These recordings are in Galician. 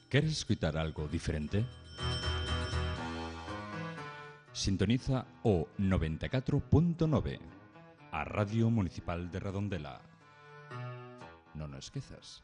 ¿Quieres escuchar algo diferente? Sintoniza o 94.9, a Radio Municipal de Redondela. Non o esquezas.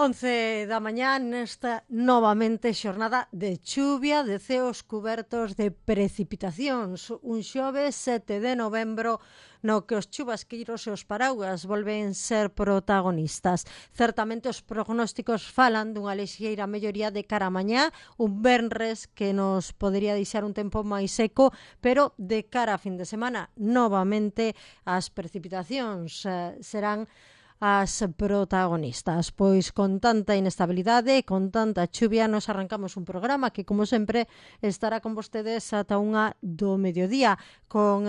Once da mañá nesta novamente xornada de chuvia, de ceos cubertos de precipitacións. Un xoves 7 de novembro no que os chubasqueiros e os paraugas volven ser protagonistas. Certamente os prognósticos falan dunha lixeira melloría de cara a mañá, un venres que nos podería deixar un tempo máis seco, pero de cara a fin de semana novamente as precipitacións serán as protagonistas. Pois con tanta inestabilidade, con tanta chuvia, nos arrancamos un programa que, como sempre, estará con vostedes ata unha do mediodía, con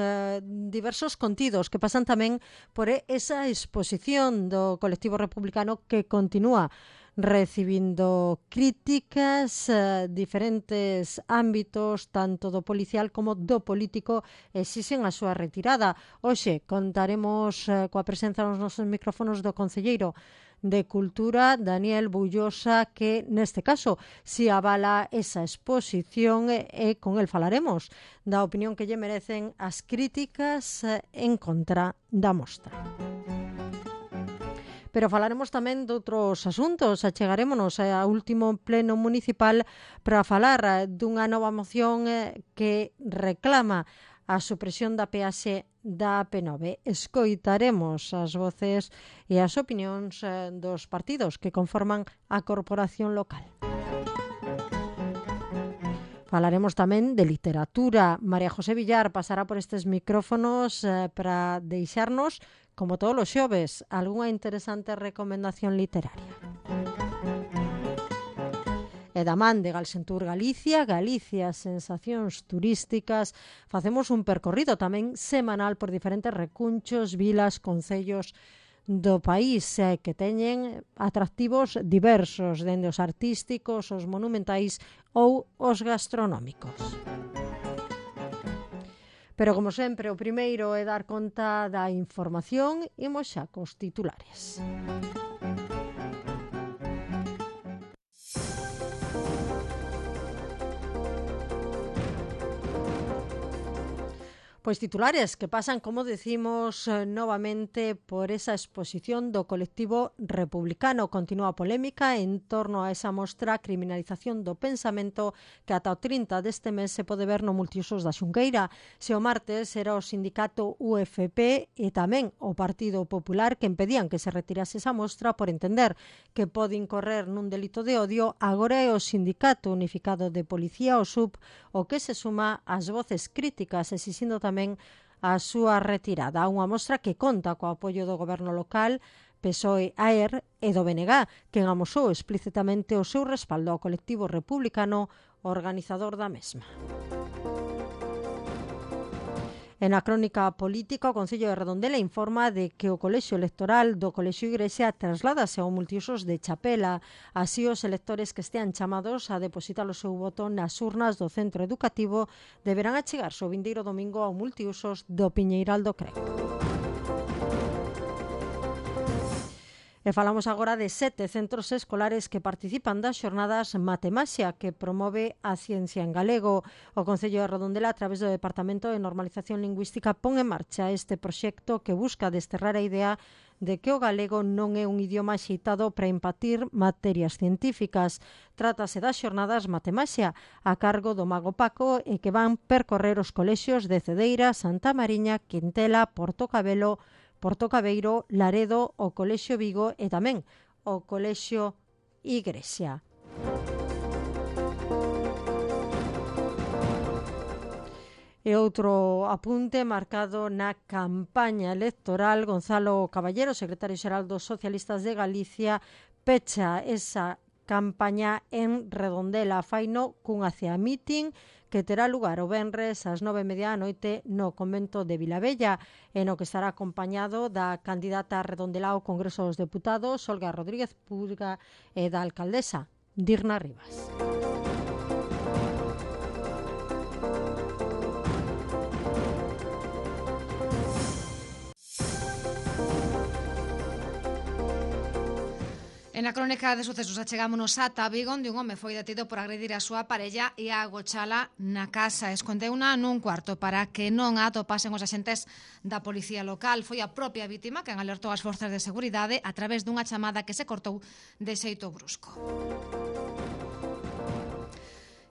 diversos contidos que pasan tamén por esa exposición do colectivo republicano que continúa recibindo críticas, diferentes ámbitos, tanto do policial como do político, exixen a súa retirada. Hoxe contaremos coa presenza nos nosos micrófonos do concelleiro de Cultura, Daniel Bullosa, que neste caso si avala esa exposición e con el falaremos da opinión que lle merecen as críticas en contra da mostra. Pero falaremos tamén de outros asuntos. Achegarémonos ao último pleno municipal para falar dunha nova moción que reclama a supresión da peaxe da AP9. Escoitaremos as voces e as opinións dos partidos que conforman a corporación local. Falaremos tamén de literatura. María José Villar pasará por estes micrófonos para deixarnos, como todos os xoves, algunha interesante recomendación literaria. E da man de Galsentur Galicia, sensacións turísticas, facemos un percorrido tamén semanal por diferentes recunchos, vilas, concellos do país que teñen atractivos diversos, dende os artísticos, os monumentais ou os gastronómicos. Pero, como sempre, o primeiro é dar conta da información. Imos xa cos titulares. Pois titulares que pasan, como decimos, novamente por esa exposición do colectivo republicano. Continúa a polémica en torno a esa mostra Criminalización do Pensamento que ata o 30 deste mes se pode ver no multiusos da Xunqueira. Se o martes era o sindicato UFP e tamén o Partido Popular que impedían que se retirase esa mostra por entender que pode incorrer nun delito de odio, agora é o Sindicato Unificado de Policía, o SUP, o que se suma ás voces críticas exixindo tamén a súa retirada. Unha mostra que conta co apoio do goberno local, PSOE, AER e do BNG, quen amosou explícitamente o seu respaldo ao colectivo republicano organizador da mesma. En a crónica política, o Concello de Redondela informa de que o colexio electoral do Colexio Igrexa trasládase ao multiusos de Chapela. Así, os electores que estean chamados a depositar o seu voto nas urnas do centro educativo deberán achegarse o vindeiro domingo ao multiusos do Piñeiral do Crego. E falamos agora de 7 centros escolares que participan das xornadas Matemaxia que promove a ciencia en galego. O Concello de Redondela, a través do Departamento de Normalización Lingüística, pon en marcha este proxecto que busca desterrar a idea de que o galego non é un idioma axeitado para impartir materias científicas. Trátase das xornadas Matemaxia a cargo do Mago Paco e que van percorrer os colexios de Cedeira, Santa Mariña, Quintela, Portocabeiro, Laredo, o Colexio Vigo e tamén o Colexio Igrexa. E outro apunte marcado na campaña electoral. Gonzalo Caballero, secretario xeral dos Socialistas de Galicia, pecha esa campaña en Redondela. Faino cunha cea meeting que terá lugar o venres ás 9:30 da noite no convento de Vilabella, e no que estará acompañado da candidata Redondela ao Congreso dos Deputados, Olga Rodríguez Purga, e da alcaldesa Dirna Rivas. En a crónica de sucesos achegámonos ata Vigo, onde un home foi detido por agredir a súa parella e a agochala na casa. Escondeuna nun cuarto para que non a atopasen os axentes da policía local. Foi a propia vítima quen alertou as forzas de seguridade a través dunha chamada que se cortou de xeito brusco.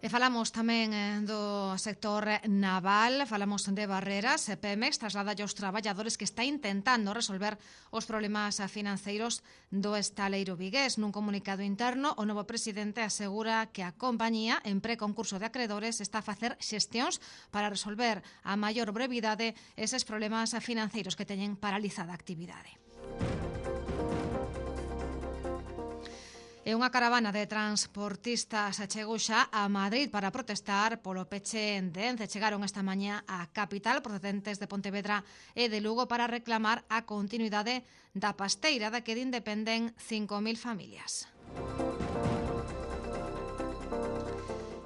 E falamos tamén do sector naval, falamos de Barreras. Pemex traslada aos traballadores que está intentando resolver os problemas financeiros do estaleiro vigués. Nun comunicado interno, o novo presidente asegura que a compañía, en preconcurso de acredores, está a facer xestións para resolver a maior brevidade eses problemas financeiros que teñen paralizada a actividade. E unha caravana de transportistas chegou xa a Madrid para protestar polo peche en Ence. Chegaron esta mañá á capital procedentes de Pontevedra e de Lugo para reclamar a continuidade da pasteira da que dependen 5.000 familias.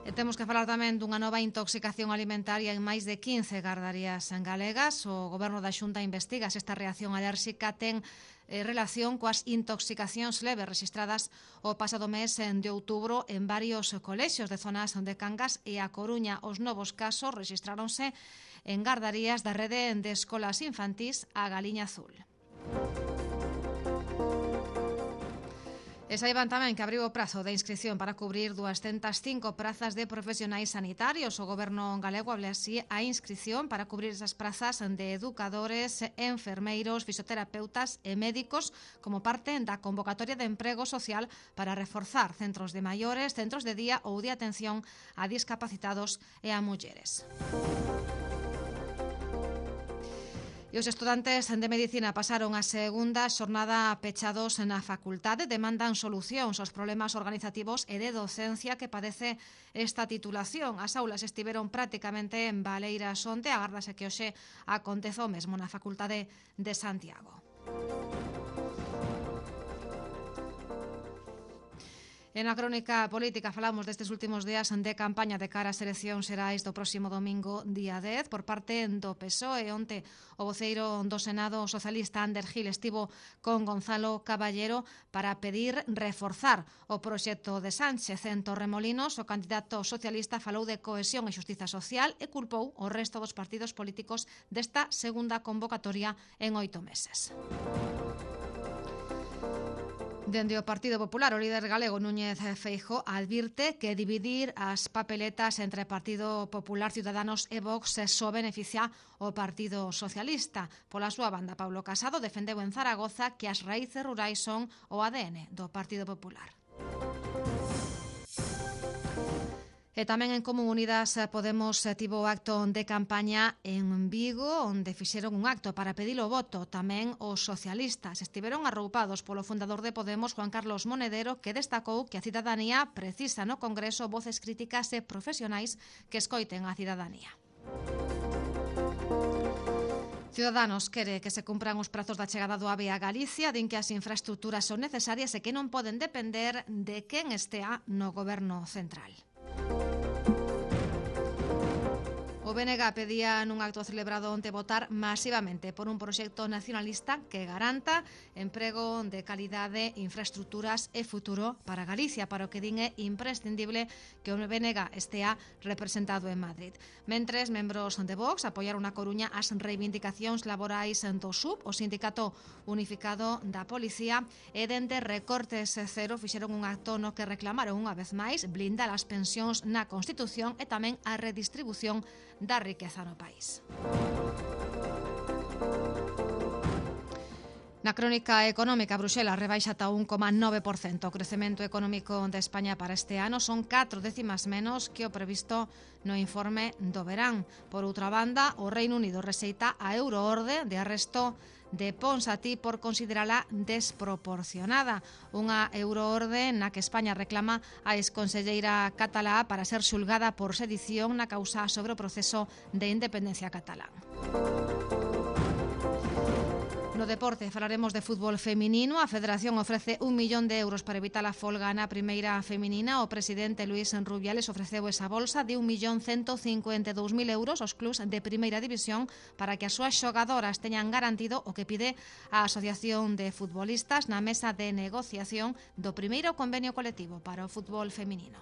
E temos que falar tamén dunha nova intoxicación alimentaria en máis de 15 gardarías galegas. O Goberno da Xunta investiga se esta reacción alérxica ten relación coas intoxicacións leves registradas o pasado mes de outubro en varios colexios de zonas de Cangas e A Coruña. Os novos casos registráronse en gardarías da rede de escolas infantís A Galiña Azul. E saiban tamén que abriu o prazo de inscripción para cubrir 205 prazas de profesionais sanitarios. O Goberno galego abre así a inscripción para cubrir esas prazas de educadores, enfermeiros, fisioterapeutas e médicos como parte da convocatoria de emprego social para reforzar centros de maiores, centros de día ou de atención a discapacitados e a mulleres. E os estudantes de Medicina pasaron a segunda xornada pechados na facultade. Demandan solucións aos problemas organizativos e de docencia que padece esta titulación. As aulas estiveron prácticamente en baleiras onte. Agárdase que hoxe acontece o mesmo na Facultade de Santiago. En a crónica política falamos destes últimos días de campaña de cara ás eleccións xerais do próximo domingo, día 10, por parte do PSOE. Onte o voceiro do Senado socialista Ander Gil estivo con Gonzalo Caballero para pedir reforzar o proxecto de Sánchez. En Torremolinos, o candidato socialista falou de cohesión e xustiza social e culpou o resto dos partidos políticos desta segunda convocatoria en 8 meses. Dende o Partido Popular, o líder galego Núñez Feijóo advirte que dividir as papeletas entre Partido Popular, Ciudadanos e Vox só beneficia o Partido Socialista. Pola súa banda, Pablo Casado defendeu en Zaragoza que as raíces rurais son o ADN do Partido Popular. E tamén en Común Unidas Podemos tivo acto de campaña en Vigo, onde fixeron un acto para pedir o voto. Tamén os socialistas estiveron arroupados polo fundador de Podemos, Juan Carlos Monedero, que destacou que a cidadanía precisa no Congreso voces críticas e profesionais que escoiten a cidadanía. Ciudadanos quere que se cumpran os prazos da chegada do AVE a Galicia, din que as infraestructuras son necesarias e que non poden depender de quen estea no goberno central. O BNG pedía nun acto celebrado onte votar masivamente por un proxecto nacionalista que garanta emprego de calidade, infraestructuras e futuro para Galicia, para o que din é imprescindible que o BNG estea representado en Madrid. Mentres, membros de Vox apoiaron na Coruña as reivindicacións laborais do SUB, o Sindicato Unificado da Policía, e dende Recortes Cero fixeron un acto no que reclamaron unha vez máis blindar as pensións na Constitución e tamén a redistribución da riqueza no país. Na crónica económica, Bruxelas rebaixa ata 1,9%. O crecemento económico de España para este ano son 4 décimas menos que o previsto no informe do verán. Por outra banda, o Reino Unido rexeita a euroorde de arresto de Ponsatí por considerala desproporcionada. Unha euroorde na que España reclama a exconselleira catalá para ser xulgada por sedición na causa sobre o proceso de independencia catalán. No deporte falaremos de fútbol feminino. A Federación ofrece 1 millón de euros para evitar a folga na primeira feminina. O presidente Luís Rubiales ofreceu esa bolsa de 1.152.000 euros aos clubs de primeira división para que as súas xogadoras teñan garantido o que pide a Asociación de Futbolistas na mesa de negociación do primeiro convenio colectivo para o fútbol feminino.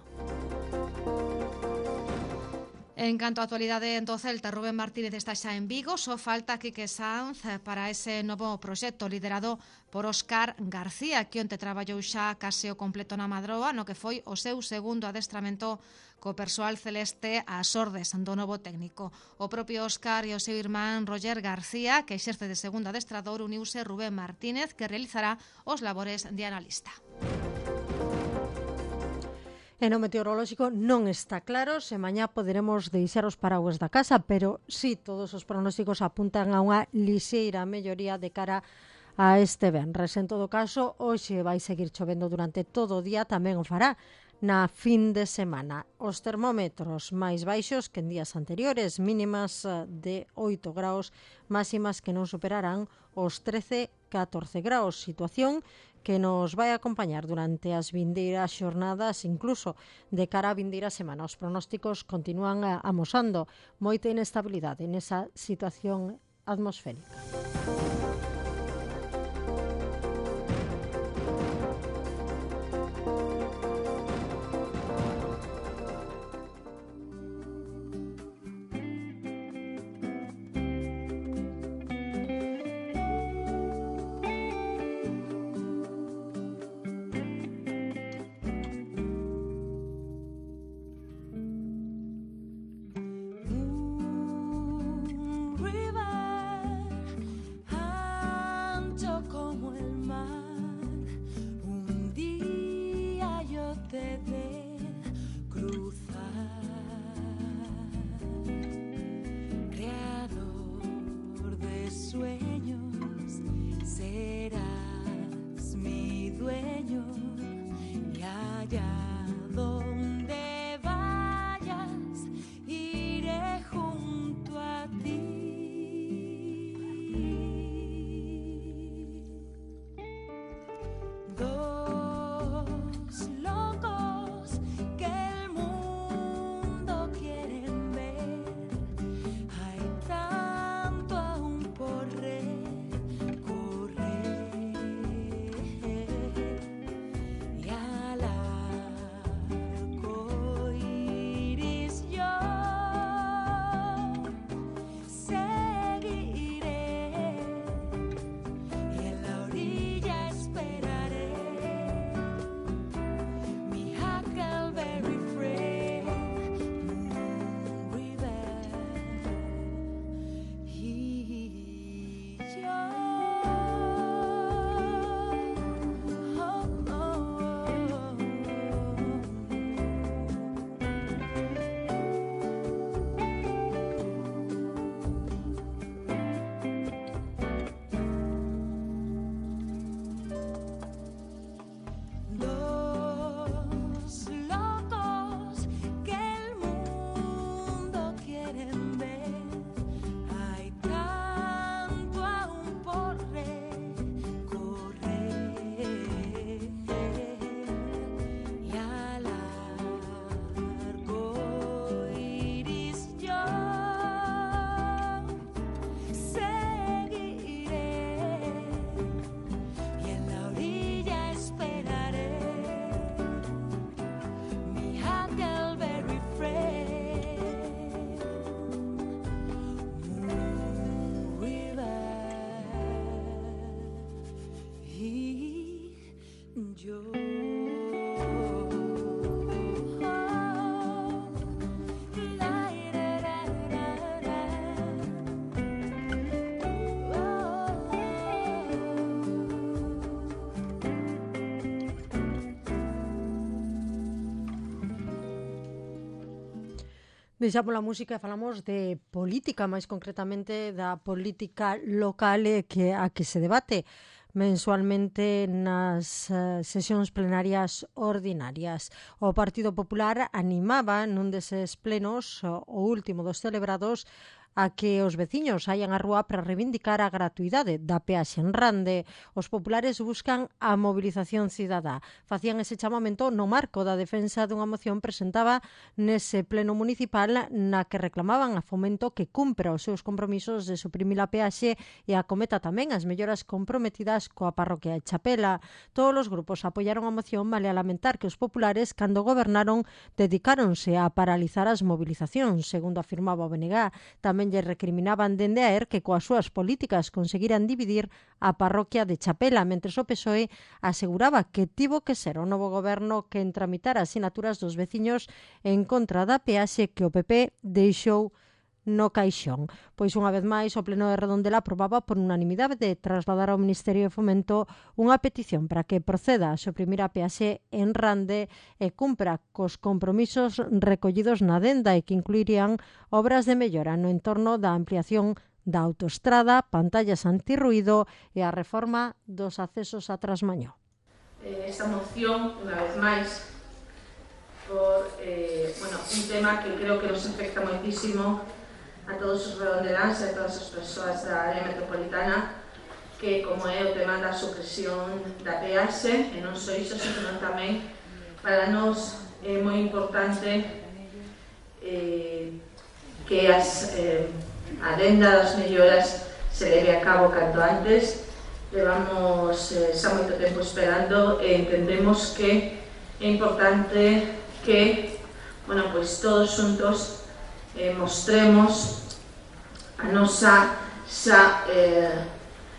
En canto á actualidade do Celta, Rubén Martínez está xa en Vigo, só falta Quique Sanz para ese novo proxecto liderado por Óscar García, que onte traballou xa case o completo na Madroa, no que foi o seu segundo adestramento co persoal celeste ás ordes do novo técnico. O propio Óscar e o seu irmán Roger García, que exerce de segundo adestrador, uniuse Rubén Martínez, que realizará os labores de analista. E no meteorolóxico non está claro se mañá poderemos deixar os paraguas da casa, pero sí, todos os pronósticos apuntan a unha lixeira melloría de cara a este venres. En todo caso, hoxe vai seguir chovendo durante todo o día, tamén o fará na fin de semana. Os termómetros máis baixos que en días anteriores, mínimas de 8 graus, máximas que non superarán os 13-14 graus, situación que nos vai acompañar durante as vindeiras xornadas, incluso de cara á vindeira semana. Os pronósticos continúan amosando moita inestabilidade nesa situación atmosférica. Deixamos a música e falamos de política, máis concretamente da política local a que se debate mensualmente nas sesións plenarias ordinarias. O Partido Popular animaba nun deses plenos, o último dos celebrados, a que os veciños saian á rúa para reivindicar a gratuidade da peaxe en Rande. Os populares buscan a mobilización cidadá. Facían ese chamamento no marco da defensa dunha moción presentada nese pleno municipal na que reclamaban a Fomento que cumpra os seus compromisos de suprimir a peaxe e acometa tamén as melloras comprometidas coa parroquia de Chapela. Todos os grupos apoiaron a moción, vale a lamentar que os populares, cando gobernaron, dedicáronse a paralizar as movilizacións, segundo afirmaba o BNG. Tamén lle recriminaban dende a ERC que coas súas políticas conseguiran dividir a parroquia de Chapela, mentres o PSOE aseguraba que tivo que ser o novo goberno que tramitara as sinaturas dos veciños en contra da peaxe que o PP deixou no caixón. Pois unha vez máis o Pleno de Redondela aprobaba por unanimidade de trasladar ao Ministerio de Fomento unha petición para que proceda a suprimir a peaxe en Rande e cumpra cos compromisos recollidos na adenda e que incluirían obras de mellora no entorno da ampliación da autoestrada, pantallas antirruído e a reforma dos accesos a Trasmañó. Esta moción, unha vez máis, por un tema que creo que nos afecta moitísimo a todos os redondeláns e a todas as persoas da área metropolitana, que como é o tema da supresión da peaxe, e non só iso, senón tamén para nós é moi importante que a adenda das melloras se leve a cabo canto antes. Levamos xa moito tempo esperando e entendemos que é importante que todos xuntos mostremos a nosa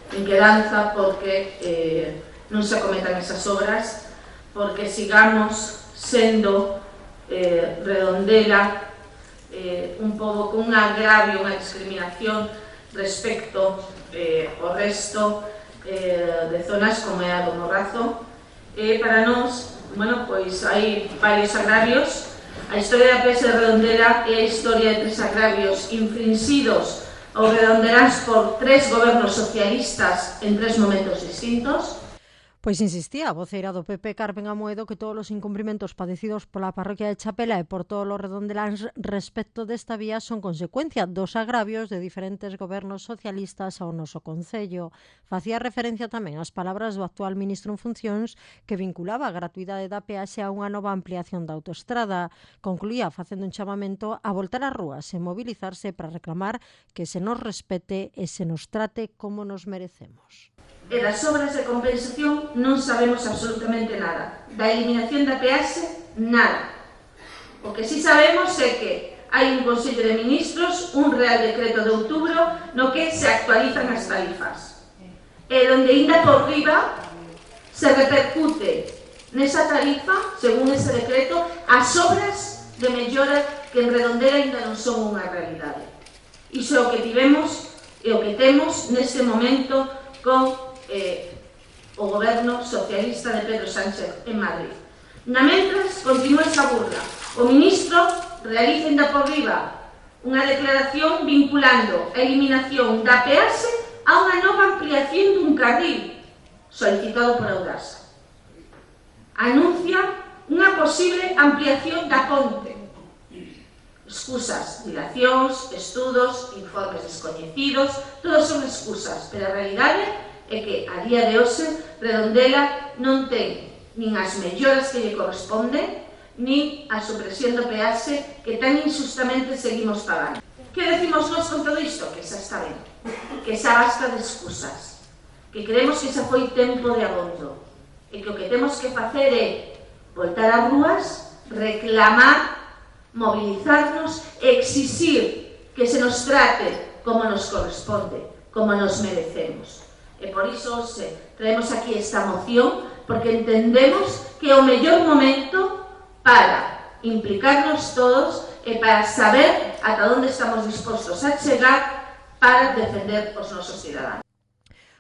inquedanza porque non se acometan esas obras, porque sigamos sendo Redondela un pobo con un agravio, unha discriminación respecto ao resto de zonas como é a do Morrazo. Para nós, hai varios agravios. A historia da peaxe de Redondela é a historia de 3 agravios infrinxidos aos redondeláns por 3 gobernos socialistas en 3 momentos distintos. Pois insistía a voceira do PP, Carmen Amoedo, que todos os incumprimentos padecidos pola parroquia de Chapela e por todos os redondeláns respecto desta vía son consecuencia dos agravios de diferentes gobernos socialistas ao noso concello. Facía referencia tamén ás palabras do actual ministro en funcións que vinculaba a gratuidade da peaxe a unha nova ampliación da autoestrada. Concluía facendo un chamamento a voltar ás rúas e mobilizarse para reclamar que se nos respete e se nos trate como nos merecemos. E das obras de compensación non sabemos absolutamente nada. Da eliminación da peaxe, nada. O que sí sabemos é que hai un Consello de Ministros, un Real Decreto de outubro, no que se actualizan as tarifas. E onde ainda por riba se repercute nesa tarifa, según ese decreto, as obras de mellora que en Redondela ainda non son unha realidade. Iso é o que tivemos e o que temos neste momento con o goberno socialista de Pedro Sánchez en Madrid. Na mentras, continúa esa burla. O ministro realiza ainda por riba unha declaración vinculando a eliminación da peaxe a unha nova ampliación dun carril solicitado por Audasa. Anuncia unha posible ampliación da ponte. Excusas, dilacións, estudos, informes descoñecidos, todos son excusas, pero a realidade é que a día de hoxe Redondela non ten nin as melloras que lle corresponden, nin a supresión do peaxe que tan injustamente seguimos pagando. Que decimos nós con todo isto? Que xa está ben, que xa basta de excusas, que creemos que xa foi tempo de abondo, e que o que temos que facer é voltar ás rúas, reclamar, mobilizarnos e exixir que se nos trate como nos corresponde, como nos merecemos. E por iso hoxe traemos aquí esta moción, porque entendemos que é o mellor momento para implicarnos todos e para saber ata onde estamos dispostos a chegar para defender os nosos cidadáns.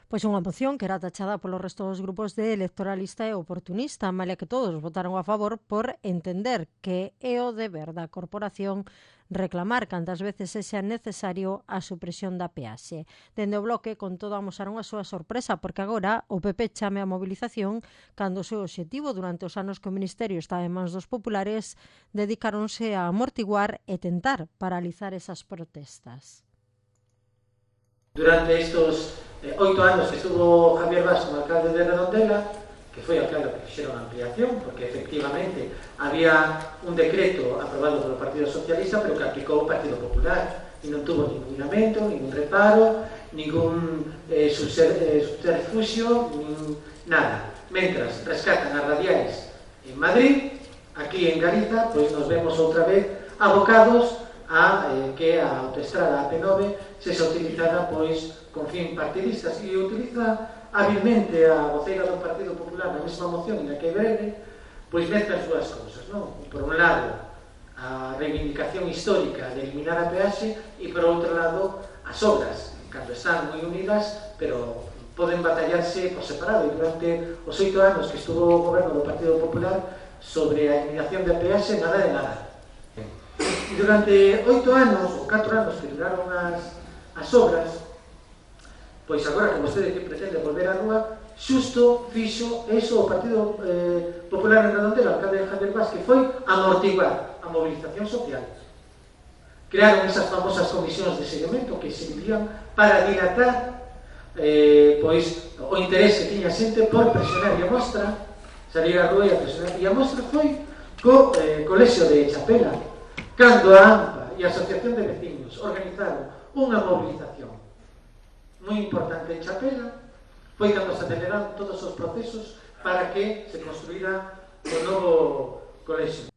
Pois unha moción que era tachada polo resto dos grupos de electoralista e oportunista, malia que todos votaron a favor por entender que é o deber da corporación reclamar cantas veces sexa necesario a supresión da peaxe. Dende o Bloque, con todo, amosaron a súa sorpresa, porque agora o PP chame a mobilización cando o seu obxectivo durante os anos que o Ministerio estaba en mans dos populares dedicáronse a amortiguar e tentar paralizar esas protestas. Durante estos 8 anos que estuvo Javier Vaz como alcalde de Redondela, que foi claro que fixeron a ampliación, porque efectivamente había un decreto aprobado polo Partido Socialista, pero que aplicou o Partido Popular, e non tuvo ningún lamento, ningún reparo, ningún subterfugio, nada. Mentras rescatan as radiais en Madrid, aquí en Galiza, pois nos vemos outra vez abocados a que a autoestrada AP9 se utilizada pois con fin partidistas, e utiliza hábilmente a voceira do Partido Popular na mesma moción na que breve, pois mezcla as dúas cousas, non? Por un lado, a reivindicación histórica de eliminar a peaxe, e por outro lado, as obras, cando están moi unidas, pero poden batallarse por separado, e durante os 8 anos que estuvo o goberno do Partido Popular sobre a eliminación da peaxe, nada de nada. E durante 8 anos, ou 4 anos que duraron as obras, pois agora que vostede que pretende volver á rúa, xusto fixo eso o Partido Popular en Redondela, o alcalde Javier Vaz, que foi amortiguar a movilización social. Crearon esas famosas comisións de seguimento que servían para dilatar pois o interés que tiña xente por presionar, e a mostra salir á rúa e a presionar, e a mostra foi co colexio de Chapela, cando a AMPA e a Asociación de Veciños organizaron unha movilización moi importante en Chapela, foi cando se aceleraron todos os procesos para que se construíra o novo colexio.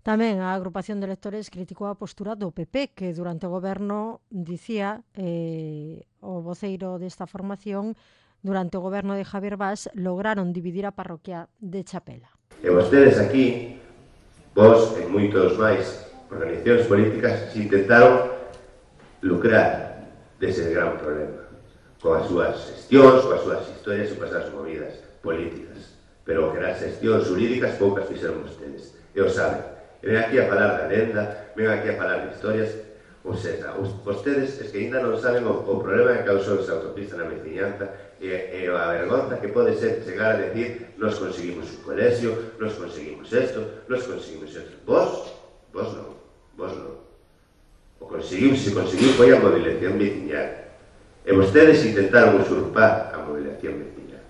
Tamén a agrupación de electores criticou a postura do PP, que durante o goberno dicía o voceiro desta formación, durante o goberno de Javier Vaz lograron dividir a parroquia de Chapela. E vostedes aquí, vos e moitos máis organizacións políticas se intentaron lucrar dese gran problema coas súas xestións, coas súas historias e coas súas movidas políticas, pero que as xestións jurídicas poucas fixeron vostedes, e o saben. E ven aquí a falar da lenda, ven aquí a falar de historias, ou seja, vostedes es que ainda non saben o problema que causou esa autopista na veciñanza e a vergonza que pode ser chegar a decir nos conseguimos un colexio, nos conseguimos esto, nos conseguimos esto. Vos non. O se conseguiu foi a mobilización veciñal. E vostedes intentaron usurpar a mobilización veciñal.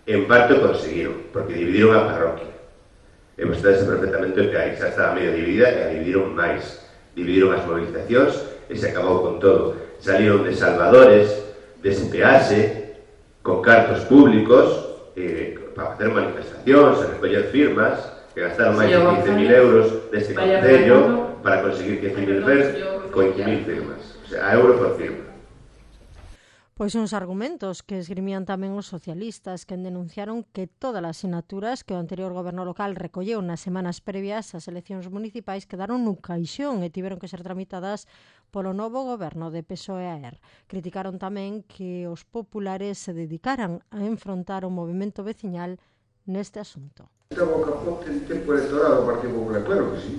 En parte o conseguiron, porque dividiron a parroquia. E vostedes saben perfectamente que aí xa estaba medio dividida e a dividiron máis. Dividiron as movilizacións e se acabou con todo. Salieron de salvadores, de SPH, con cartos públicos, para facer manifestacións, a recoller firmas, que gastaron máis de 15.000 euros deste concello para conseguir 15.000 firmas. O sea, a euro por firma. Pois uns argumentos que esgrimían tamén os socialistas, que denunciaron que todas as sinaturas que o anterior goberno local recolleu nas semanas previas ás eleccións municipais quedaron nun caixón e tiveron que ser tramitadas polo novo goberno de PSOE-AER. Criticaron tamén que os populares se dedicaran a enfrontar o movimento veciñal neste asunto. Esta boca en tempo electoral do Partido Popular, claro que sí.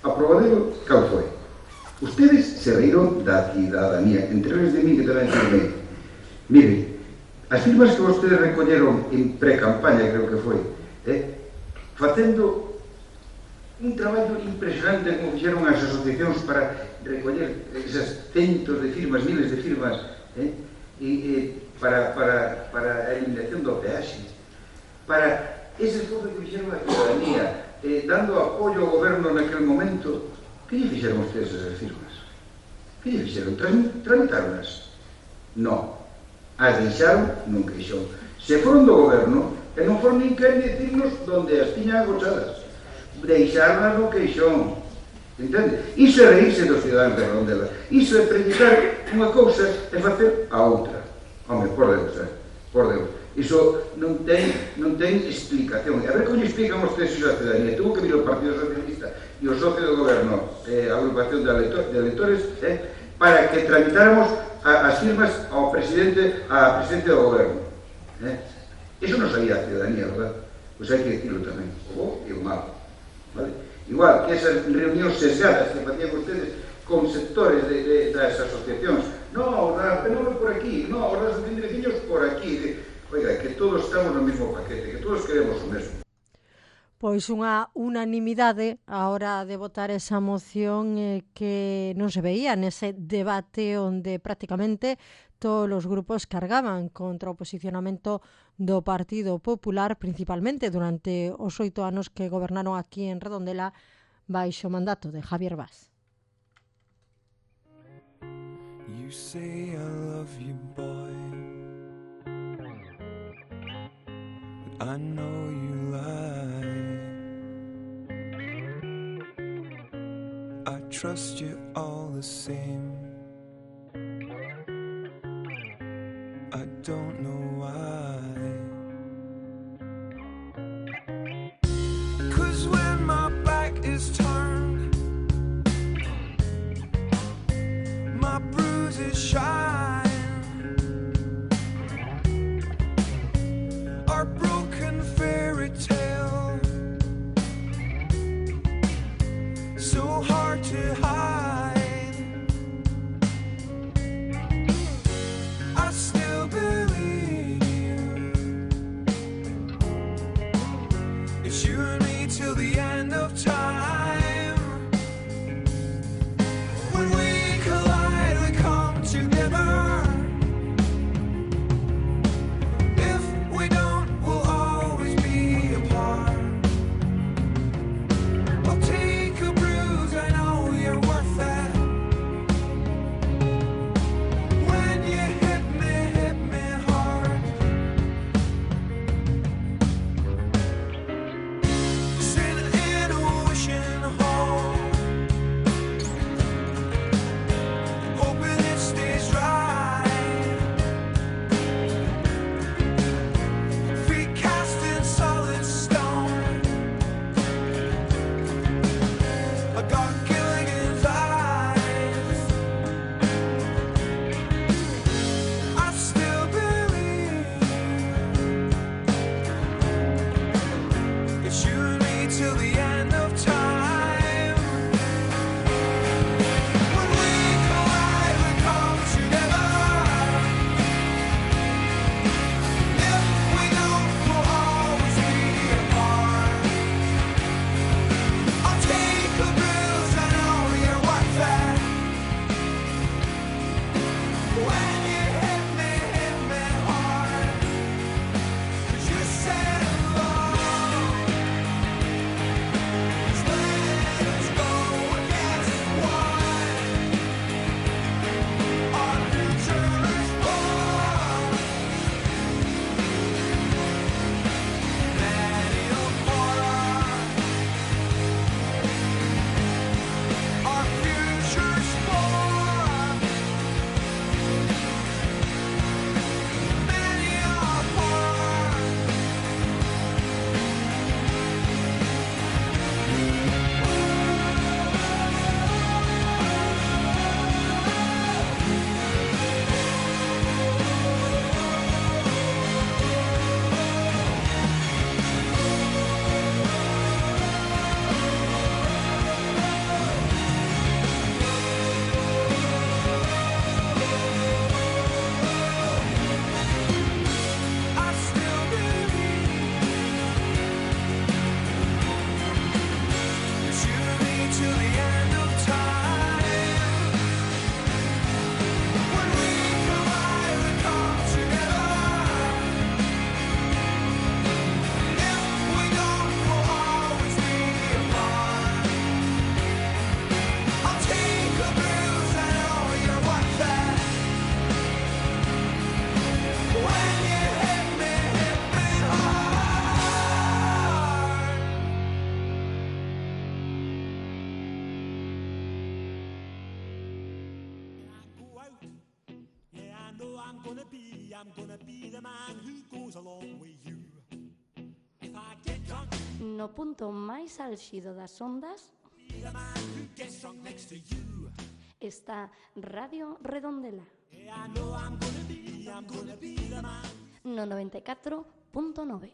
Aprobadero, cal foi? Ustedes se reíron da cidadanía, entre eles de mí que tamén firmei. Mire, as firmas que vostedes recolleron en pre-campaña, creo que foi, facendo un traballo impresionante como fixeron as asociacións para recoller esas centos de firmas, miles de firmas, para a eliminación do peaxe, para ese esforzo que fixeron a cidadanía, dando apoio ao goberno naquele momento. Que lle fixeron ustedes esas firmas? Que lle fixeron? Tramitaronas? Non. As deixaron nun queixón. Se foron do goberno, e non foron nin quen decirnos onde as tiñan agochadas. Deixaronas no queixón. Entende? Iso é reírse dos ciudadanos de Redondela. Iso é predicar unha cousa e facer a outra. Home, por Deus, por Deus. Iso non ten explicación. A ver como lle explican ustedes a ciudadanía. Tuvo que vir o Partido Socialista e o socio do goberno, a agrupación de electores, para que tramitáramos as firmas ao presidente do goberno. Eso non sabía a ciudadanía, verdad? Pois hai que decirlo tamén, o bo e o malo, vale? Igual que esas reunións sesgadas que facían ustedes con sectores das asociacións, no, a PNV por aquí, no, as asociacións de veciños por aquí. Oiga, que todos estamos no mesmo paquete, que todos queremos o mesmo. Pois unha unanimidade a hora de votar esa moción que non se veía nese debate onde prácticamente todos os grupos cargaban contra o posicionamento do Partido Popular, principalmente durante os 8 anos que gobernaron aquí en Redondela baixo o mandato de Javier Vaz. You say I love you, boy, but I know you lie. I trust you all the same. I don't know why. 'Cause when my back is turned, my bruises shine. Our broken fairy tale, so hard to hide. I still believe you. It's you and me till the end of time. When we collide, we come together. If we don't, we'll always be apart. I'll take a bruise, I know you're worth that. When you hit me hard. Sitting in a wishing hole, hoping it stays dry. Feet cast in solid stone. I got Gilligan's eyes. I still believe it's you and me till the end of time. When we collide, we come together. If we don't, we'll always be apart. I'll take a bruise, I know you're worth that. When you hit me hard. 'Cause you said love is let us go against one. Our future is born. Many a horror. Our future's born. Many a horror. I still believe it's you and me till the end of time. When we collide, we come together. If we don't, we'll always be apart. I'll take a bruise, I know you're worth that. When you hit me hard. Go out. Yeah, I know I'm gonna be the man who goes along with you. If I get drunk, No punto máis álxido das ondas be the man who gets drunk next to you. está Radio Redondela. No 94.9.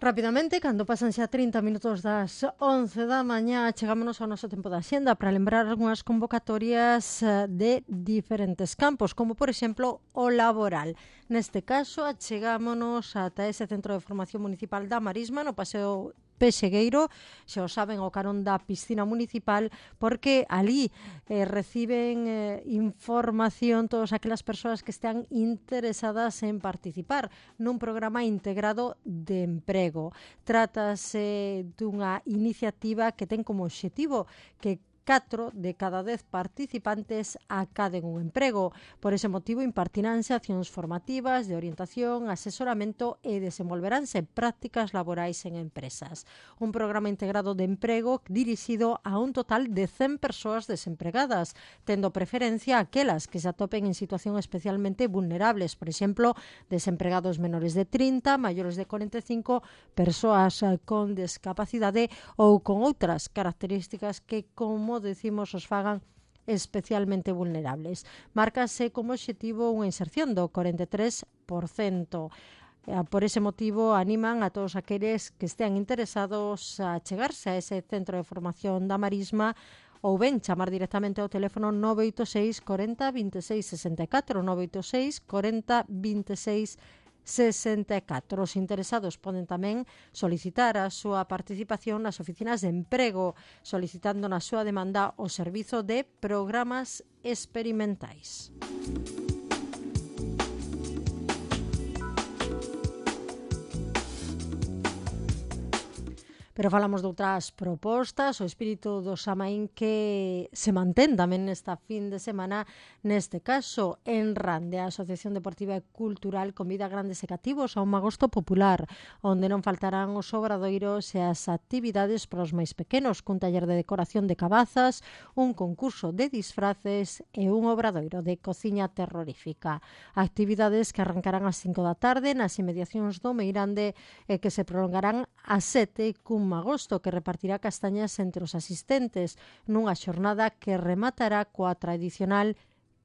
Rapidamente, cando pasan xa 30 minutos das 11 da mañá, chegámonos ao noso tempo da xenda para lembrar algunhas convocatorias de diferentes campos, como por exemplo o laboral. Neste caso, achegámonos ata ese centro de formación municipal da Marisma, no Paseo Pexegueiro, xa o saben, ao carón da piscina municipal, porque ali reciben información todas aquelas persoas que están interesadas en participar nun programa integrado de emprego. Trátase dunha iniciativa que ten como obxectivo que 4 de cada 10 participantes acaden un emprego. Por ese motivo, impartiránse accións formativas de orientación, asesoramento e desenvolveránse prácticas laborais en empresas. Un programa integrado de emprego dirixido a un total de 100 persoas desempregadas, tendo preferencia aquelas que se atopen en situación especialmente vulnerables, por exemplo, desempregados menores de 30, maiores de 45, persoas con discapacidade ou con outras características que, como decimos, os fagan especialmente vulnerables. Márcase como obxectivo unha inserción do 43%. Por ese motivo, animan a todos aqueles que estean interesados a chegarse a ese centro de formación da Marisma ou ben chamar directamente ao teléfono 986 40 26 64, 986 40 26 64. Os interesados poden tamén solicitar a súa participación nas oficinas de emprego, solicitando na súa demanda o servizo de programas experimentais. Pero falamos de outras propostas, o espírito do Samaín que se mantén tamén nesta fin de semana. Neste caso, en Rande, a Asociación Deportiva e Cultural convida a grandes e cativos a un agosto popular, onde non faltarán os obradoiros e as actividades para os máis pequenos, cun taller de decoración de cabazas, un concurso de disfraces e un obradoiro de cociña terrorífica. Actividades que arrancarán ás 5 da tarde nas inmediacións do Meirande e que se prolongarán ás 7 cun agosto que repartirá castañas entre os asistentes nunha xornada que rematará coa tradicional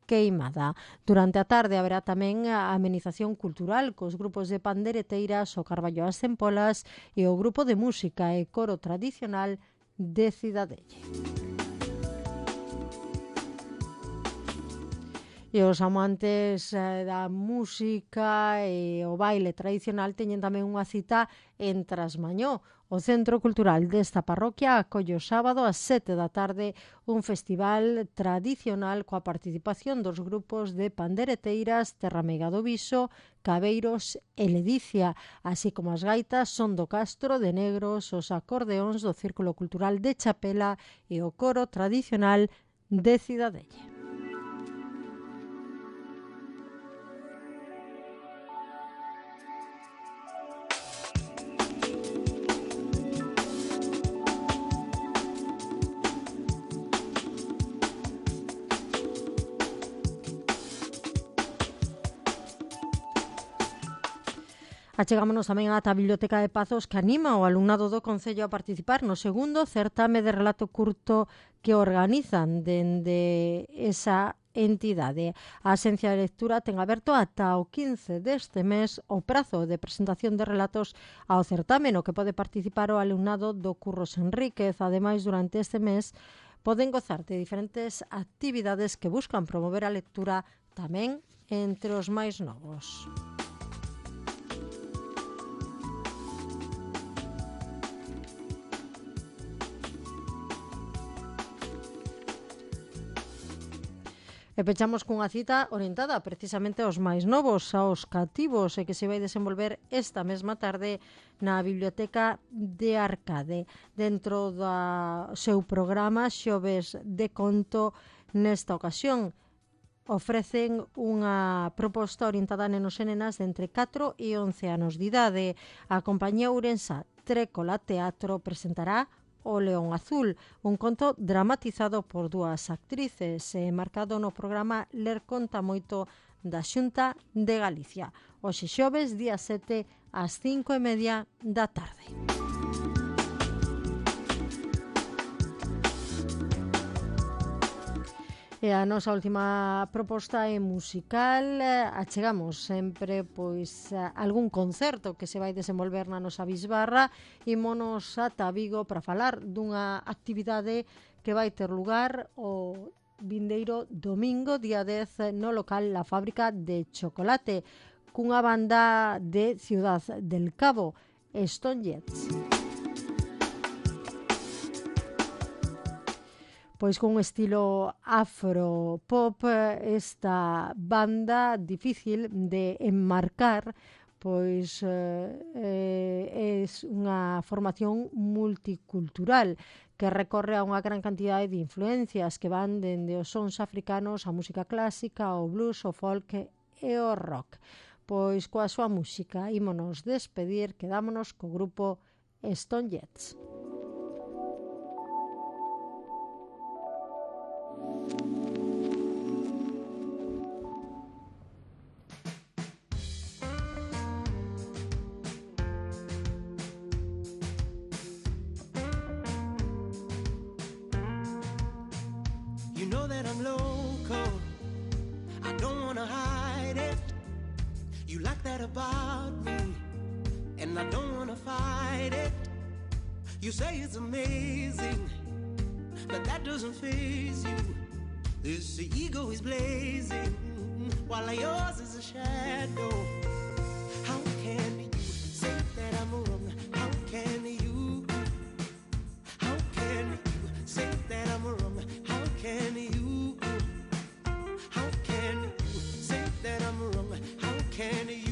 queimada. Durante a tarde haberá tamén a amenización cultural cos grupos de pandereteiras, o Carballo ás Empolas e o grupo de música e coro tradicional de Cidadelle. E os amantes da música e o baile tradicional teñen tamén unha cita en Trasmañó. O Centro Cultural desta parroquia acolle o sábado ás 7 da tarde un festival tradicional coa participación dos grupos de pandereteiras Terrameiga do Viso, Cabeiros e Ledicia, así como as gaitas Son do Castro de Negros, os acordeóns do Círculo Cultural de Chapela e o coro tradicional de Cidadelle. Achegámonos tamén á Biblioteca de Pazos, que anima o alumnado do Concello a participar no segundo certame de relato curto que organizan dende esa entidade. A Axencia de Lectura ten aberto ata o 15 deste mes o prazo de presentación de relatos ao certame, no que pode participar o alumnado do Curros Enríquez. Ademais, durante este mes poden gozar de diferentes actividades que buscan promover a lectura tamén entre os máis novos. E pechamos cunha cita orientada precisamente aos máis novos, aos cativos, e que se vai desenvolver esta mesma tarde na Biblioteca de Arcade. Dentro do seu programa Xoves de Conto, nesta ocasión ofrecen unha proposta orientada a nenos e nenas de entre 4 e 11 anos de idade. A compañía ourensá Trécola Teatro presentará O León Azul, un conto dramatizado por dúas actrices e marcado no programa Ler conta moito da Xunta de Galicia. Hoxe xoves, día 7, ás 5:30 da tarde. E a nosa última proposta é musical. Achegamos sempre algún concerto que se vai desenvolver na nosa bisbarra. Ímonos ata Vigo para falar dunha actividade que vai ter lugar o vindeiro domingo, día 10, no local La Fábrica de Chocolate, cunha banda de Ciudad del Cabo, Stone Jets. Pois con un estilo afro-pop, esta banda difícil de enmarcar, pois é unha formación multicultural que recorre a unha gran cantidade de influencias que van dende os sons africanos, a música clásica, o blues, o folk e o rock. Pois coa súa música ímonos despedir, quedámonos co grupo Stone Jets. About me, and I don't wanna fight it. You say it's amazing, but that doesn't faze you. This ego is blazing, while yours is a shadow. How can you say that I'm wrong? How can you? How can you say that I'm wrong? How can you? How can you say that I'm wrong? How can you?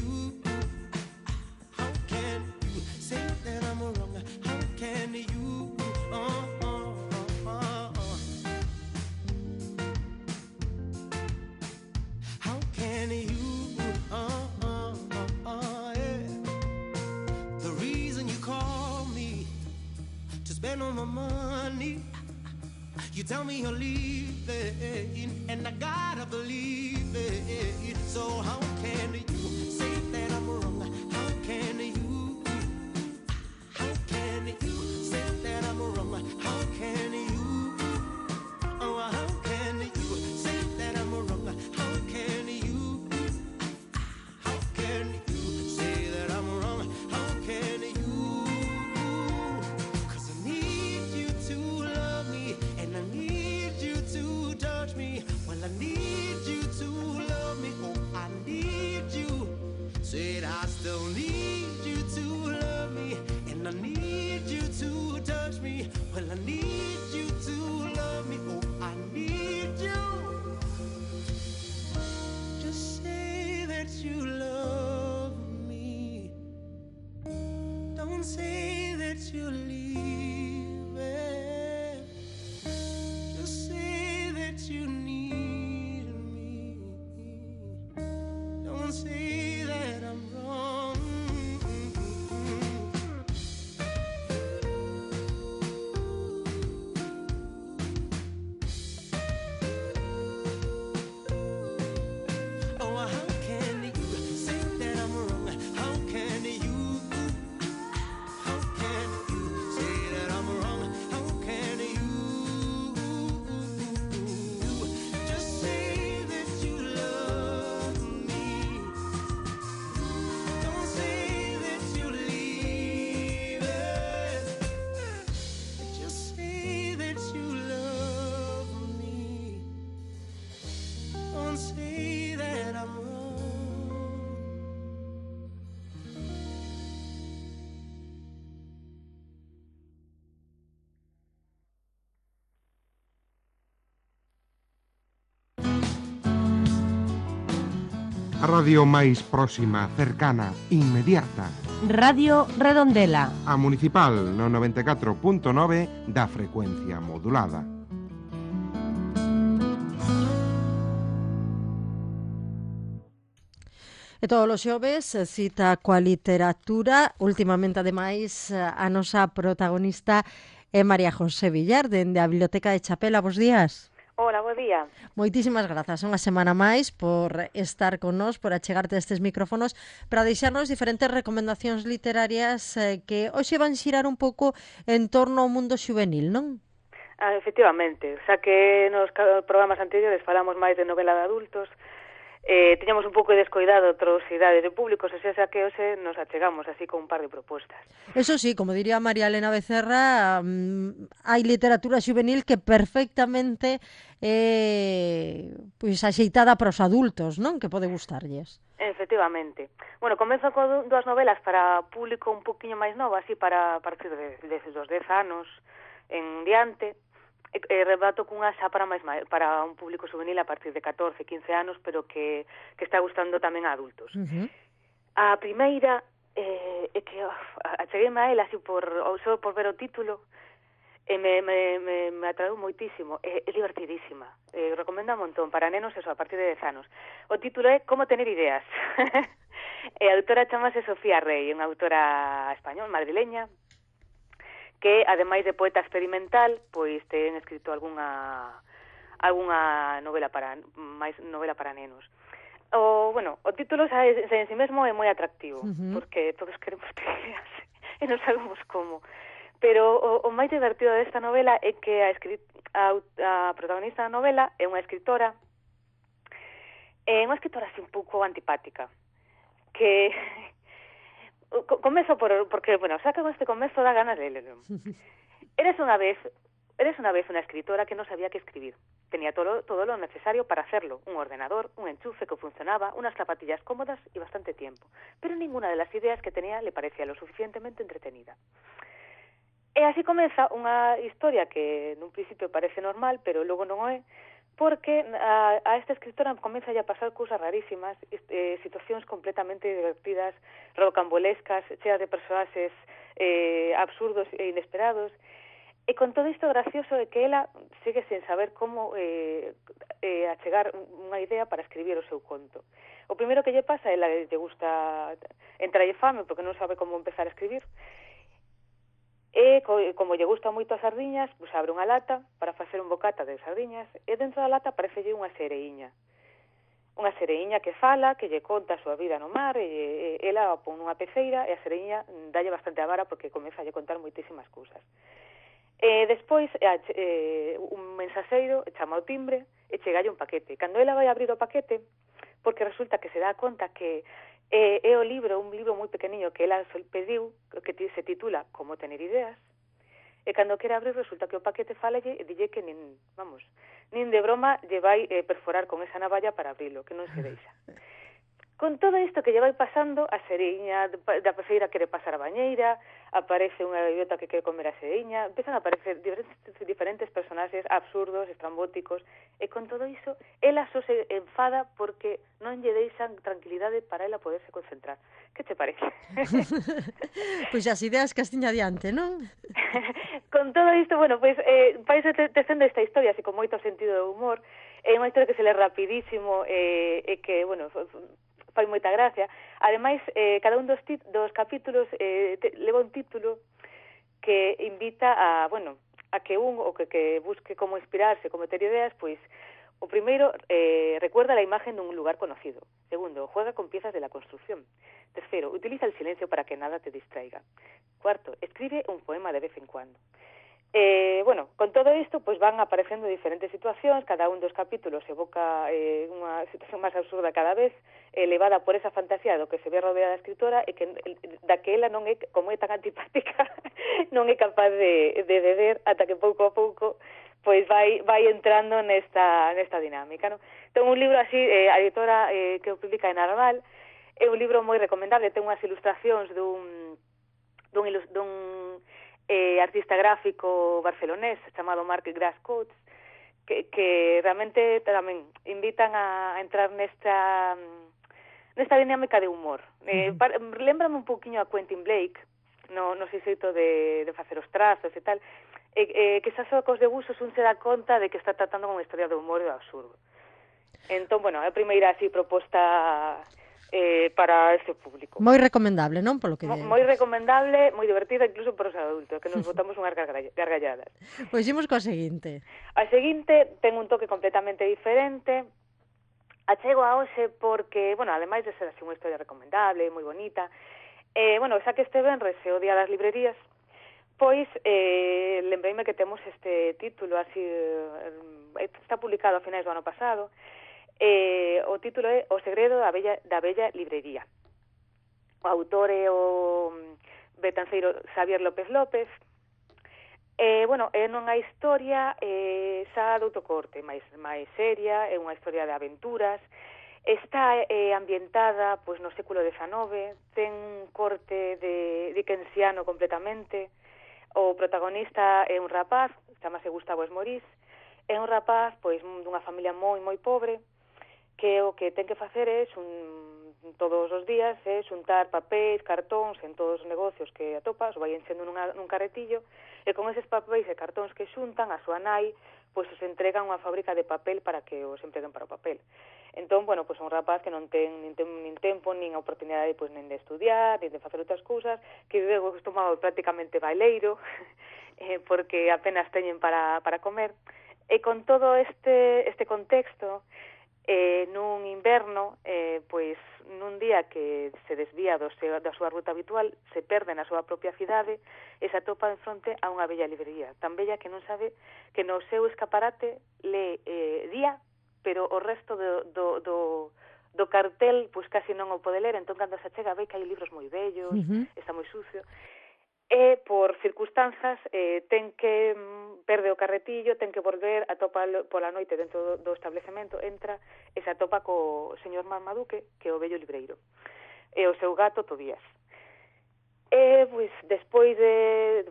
On my money, you tell me you're leaving, and I gotta believe it. So how can you say that I'm wrong? How can you? How can you say that I'm wrong? How can you? Oh, how can you say that I'm wrong? How can you? How can you say that I'm wrong? How can you? I need you to love me, oh I need you. Said I still need you to love me, and I need you to touch me. Well, I need you to love me, oh I need you. Just say that you love me. Don't say that you leave it. Just say that you need. Say that I'm wrong. Oh, how can you say that I'm wrong? How can you? How can you say that I'm wrong? How can you? Just say that you love me. A radio máis próxima, cercana, inmediata. Radio Redondela. A municipal no 94.9 da frecuencia modulada. E todos os xoves cita coa literatura. Últimamente, ademais, a nosa protagonista e María José Villar, dende a Biblioteca de Chapela. Bos días. Hola, bo día. Moitísimas grazas unha semana máis por estar con nós, por achegarte estes micrófonos para deixarnos diferentes recomendacións literarias que hoxe van xirar un pouco en torno ao mundo xuvenil, non? Efectivamente, xa que nos programas anteriores falamos máis de novela de adultos, tiñamos un pouco descoidado outras idades de públicos, xa que hoxe nos achegamos así con un par de propostas. Eso sí, como diría María Elena Becerra, hai literatura xuvenil que perfectamente pois axeitada para os adultos, non? Que pode gustarlles. Efectivamente. Bueno, comezo con dúas novelas para público un poquinho máis novo, así para partir dos 10 anos en diante. Rebato cunha xa para un público juvenil a partir de 14, 15 anos, pero que está gustando tamén a adultos. A primeira é que achegueme a ela así só por ver o título e me atraeu moitísimo. É divertidísima. Recomendo un montón para nenos eso a partir de 10 anos. O título é Como tener ideas. A autora chamase Sofía Rey, unha autora español, madrileña, que, ademais de poeta experimental, pois ten escrito algunha novela para nenos. O título en si mesmo é moi atractivo, porque todos queremos ter ideas e non sabemos como. Pero o máis divertido desta novela é que a protagonista da novela é unha escritora así un pouco antipática, que... Comezo porque, xa que con este comezo dá ganas de ler. Eres unha vez unha escritora que non sabía que escribir. Tenía todo lo necesario para hacerlo. Un ordenador, un enchufe que funcionaba, unas zapatillas cómodas y bastante tiempo. Pero ninguna de las ideas que tenía le parecía lo suficientemente entretenida. E así comeza unha historia que nun principio parece normal, pero logo non o é, porque a esta escritora comeza a pasar cousas rarísimas, situacións completamente divertidas, rocambolescas, cheas de personaxes absurdos e inesperados, e con todo isto gracioso é que ela sigue sen saber como achegar unha idea para escribir o seu conto. O primeiro que lle pasa, ela lle gusta entralle fame porque non sabe como empezar a escribir, e como lle gusta moito as sardiñas, pois abre unha lata para facer un bocata de sardiñas e dentro da lata aparecelle unha sereiña que fala, que lle conta a súa vida no mar, e ela pon nunha peceira e a sereiña dalle bastante a vara porque comeza a lle contar moitísimas cousas. E despois un mensaxeiro chama ao timbre e chegalle un paquete. Cando ela vai abrir o paquete, porque resulta que se dá conta que é un libro moi pequeniño que ela pediu, que se titula Como tener ideas, e cando quere abrir resulta que o paquete falalle e dille que nin de broma lle vai perforar con esa navalla para abrilo, que non se deixa. Con todo isto que lle vai pasando, a sereiña da peceira quere pasar a bañeira, aparece unha gaviota que quere comer a sereiña, empezan a aparecer diferentes personaxes absurdos, estrambóticos, e con todo iso, ela só se enfada porque non lle deixan tranquilidade para ela poderse concentrar. Que te parece? Pois as ideas que as tiña diante, non? Con todo isto, paise tecendo esta historia, así con moito sentido de humor, é unha historia que se lee rapidísimo e que, fai moita gracia. Ademais, cada un dos capítulos leva un título que invita a que que busque como inspirarse, como ter ideas, pois o primeiro, recuerda la imagen de un lugar conocido. Segundo, juega con piezas de la construcción. Tercero, utiliza el silencio para que nada te distraiga. Cuarto, escribe un poema de vez en cuando. Con todo isto, pois van aparecendo diferentes situacións, cada un dos capítulos evoca unha situación máis absurda cada vez, elevada por esa fantasía do que se ve rodeada a escritora e que da que ela non é, como é tan antipática, non é capaz de ver ata que pouco a pouco pois vai entrando nesta dinámica, non? Ten un libro así, a editora que o publica en Narval, é un libro moi recomendable, ten unhas ilustracións dun artista gráfico barcelonés chamado Marc Grascotes, que realmente tamén invitan a entrar nesta dinámica de humor. Lémbrame un poquinho a Quentin Blake, no xeito de facer os trazos e tal, que xa só cos debuxos un se dá conta de que está tratando con unha historia de humor e de absurdo. Entón, a primeira así proposta para este público. Moi recomendable, non? Polo que moi recomendable, moi divertida, incluso para os adultos, que nos botamos unhas gargalladas. Pois imos coa seguinte. A seguinte ten un toque completamente diferente. Achego a hoxe porque, bueno, ademais de ser así unha historia recomendable, moi bonita, xa que este venres é o Día das Librerías, pois lembreime que temos este título así, está publicado a finais do ano pasado. O título é O segredo da bella librería. O autor é o betanceiro Xavier López López. É unha historia xa de outro corte, máis seria, é unha historia de aventuras. Está ambientada pois no século XIX, ten un corte de dickensiano completamente. O protagonista é un rapaz, chamase Gustavo Esmorís, é un rapaz pois dunha familia moi pobre, que o que ten que facer é todos os días é xuntar papéis, cartóns en todos os negocios que atopa, os vai enchendo nun carretillo, e con eses papéis e cartóns que xuntan, a súa nai pois os entrega a unha fábrica de papel para que os empreguen para o papel. Entón, pois un rapaz que non ten nin tempo, nin oportunidade pois nin de estudiar, nin de facer outras cousas, que vive acostumado prácticamente baileiro, porque apenas teñen para comer. E con todo este contexto, nun inverno, pois nun día que se desvía da súa ruta habitual, se perde na súa propia cidade e se atopa en fronte a unha bella librería, tan bella que non sabe que no seu escaparate lee día, pero o resto do cartel pois casi non o pode ler, entón cando se chega ve que hai libros moi bellos, está moi sucio, e por circunstancias ten que perde o carretillo, ten que volver, atopa pola noite dentro do establecemento, entra e se atopa co señor Marmaduke, que é o vello libreiro, e o seu gato Tobías. E, pois, despois de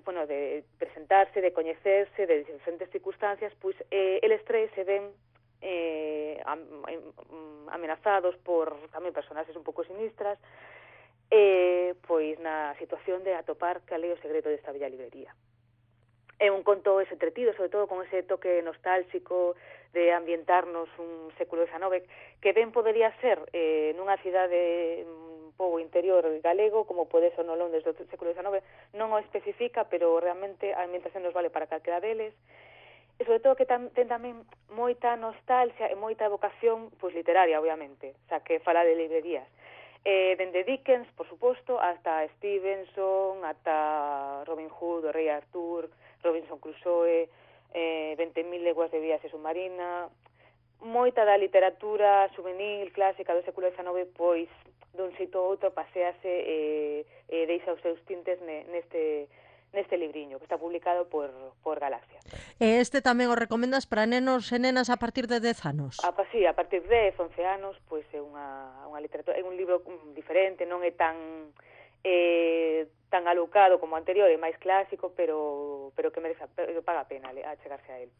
presentarse, de coñecerse, de diferentes circunstancias, pois, eles tres se ven amenazados por tamén personaxes un pouco sinistras, pois na situación de atopar cal é o segredo desta bella librería. É un conto entretido, sobre todo con ese toque nostálxico de ambientarnos un século XIX, que ben podería ser nunha cidade un pouco interior galego, como pode ser no Londres do século XIX, non o especifica, pero realmente a ambientación nos vale para calquera deles, e sobre todo que ten tamén moita nostalgia e moita evocación pois literaria, obviamente, xa que fala de librerías. Dende Dickens, por suposto, hasta Stevenson, ata Robin Hood, o Rei Arthur, Robinson Crusoe, 20.000 leguas de viaxe submarina, moita da literatura juvenil clásica do século XIX, pois, dun xeito ou outro, pasease e deixa os seus tintes neste libriño, que está publicado por Galaxia. E este tamén o recomendas para nenos e nenas a partir de 10 anos? Sí, a partir de 11 anos, pois é unha literatura, é un libro diferente, non é tan alucado como o anterior, é máis clásico, pero que merece, paga a pena chegarse a él.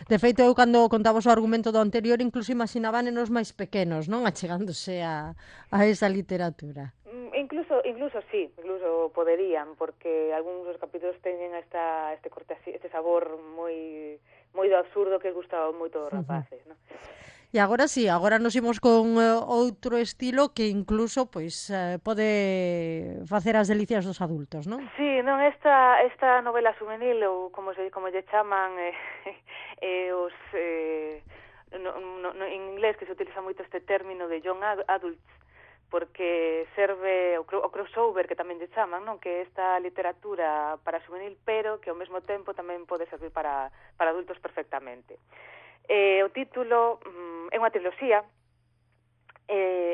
De feito, eu cando contamos o argumento do anterior, incluso imaginaba nenos máis pequenos, non? Achegándose a esa literatura. Incluso sí, incluso poderían, porque algúns dos capítulos teñen este corte así, este sabor moi do absurdo que gustaba moito aos rapaces, non? E agora sí, agora nos imos con outro estilo que incluso pois pode facer as delicias dos adultos, non? Sí, non, esta novela juvenil, ou como lle chaman en inglés, que se utiliza moito este término de young adults, porque serve o crossover, que tamén lle chaman, non? Que é esta literatura para juvenil, pero que ao mesmo tempo tamén pode servir para adultos perfectamente. O título é unha triloxía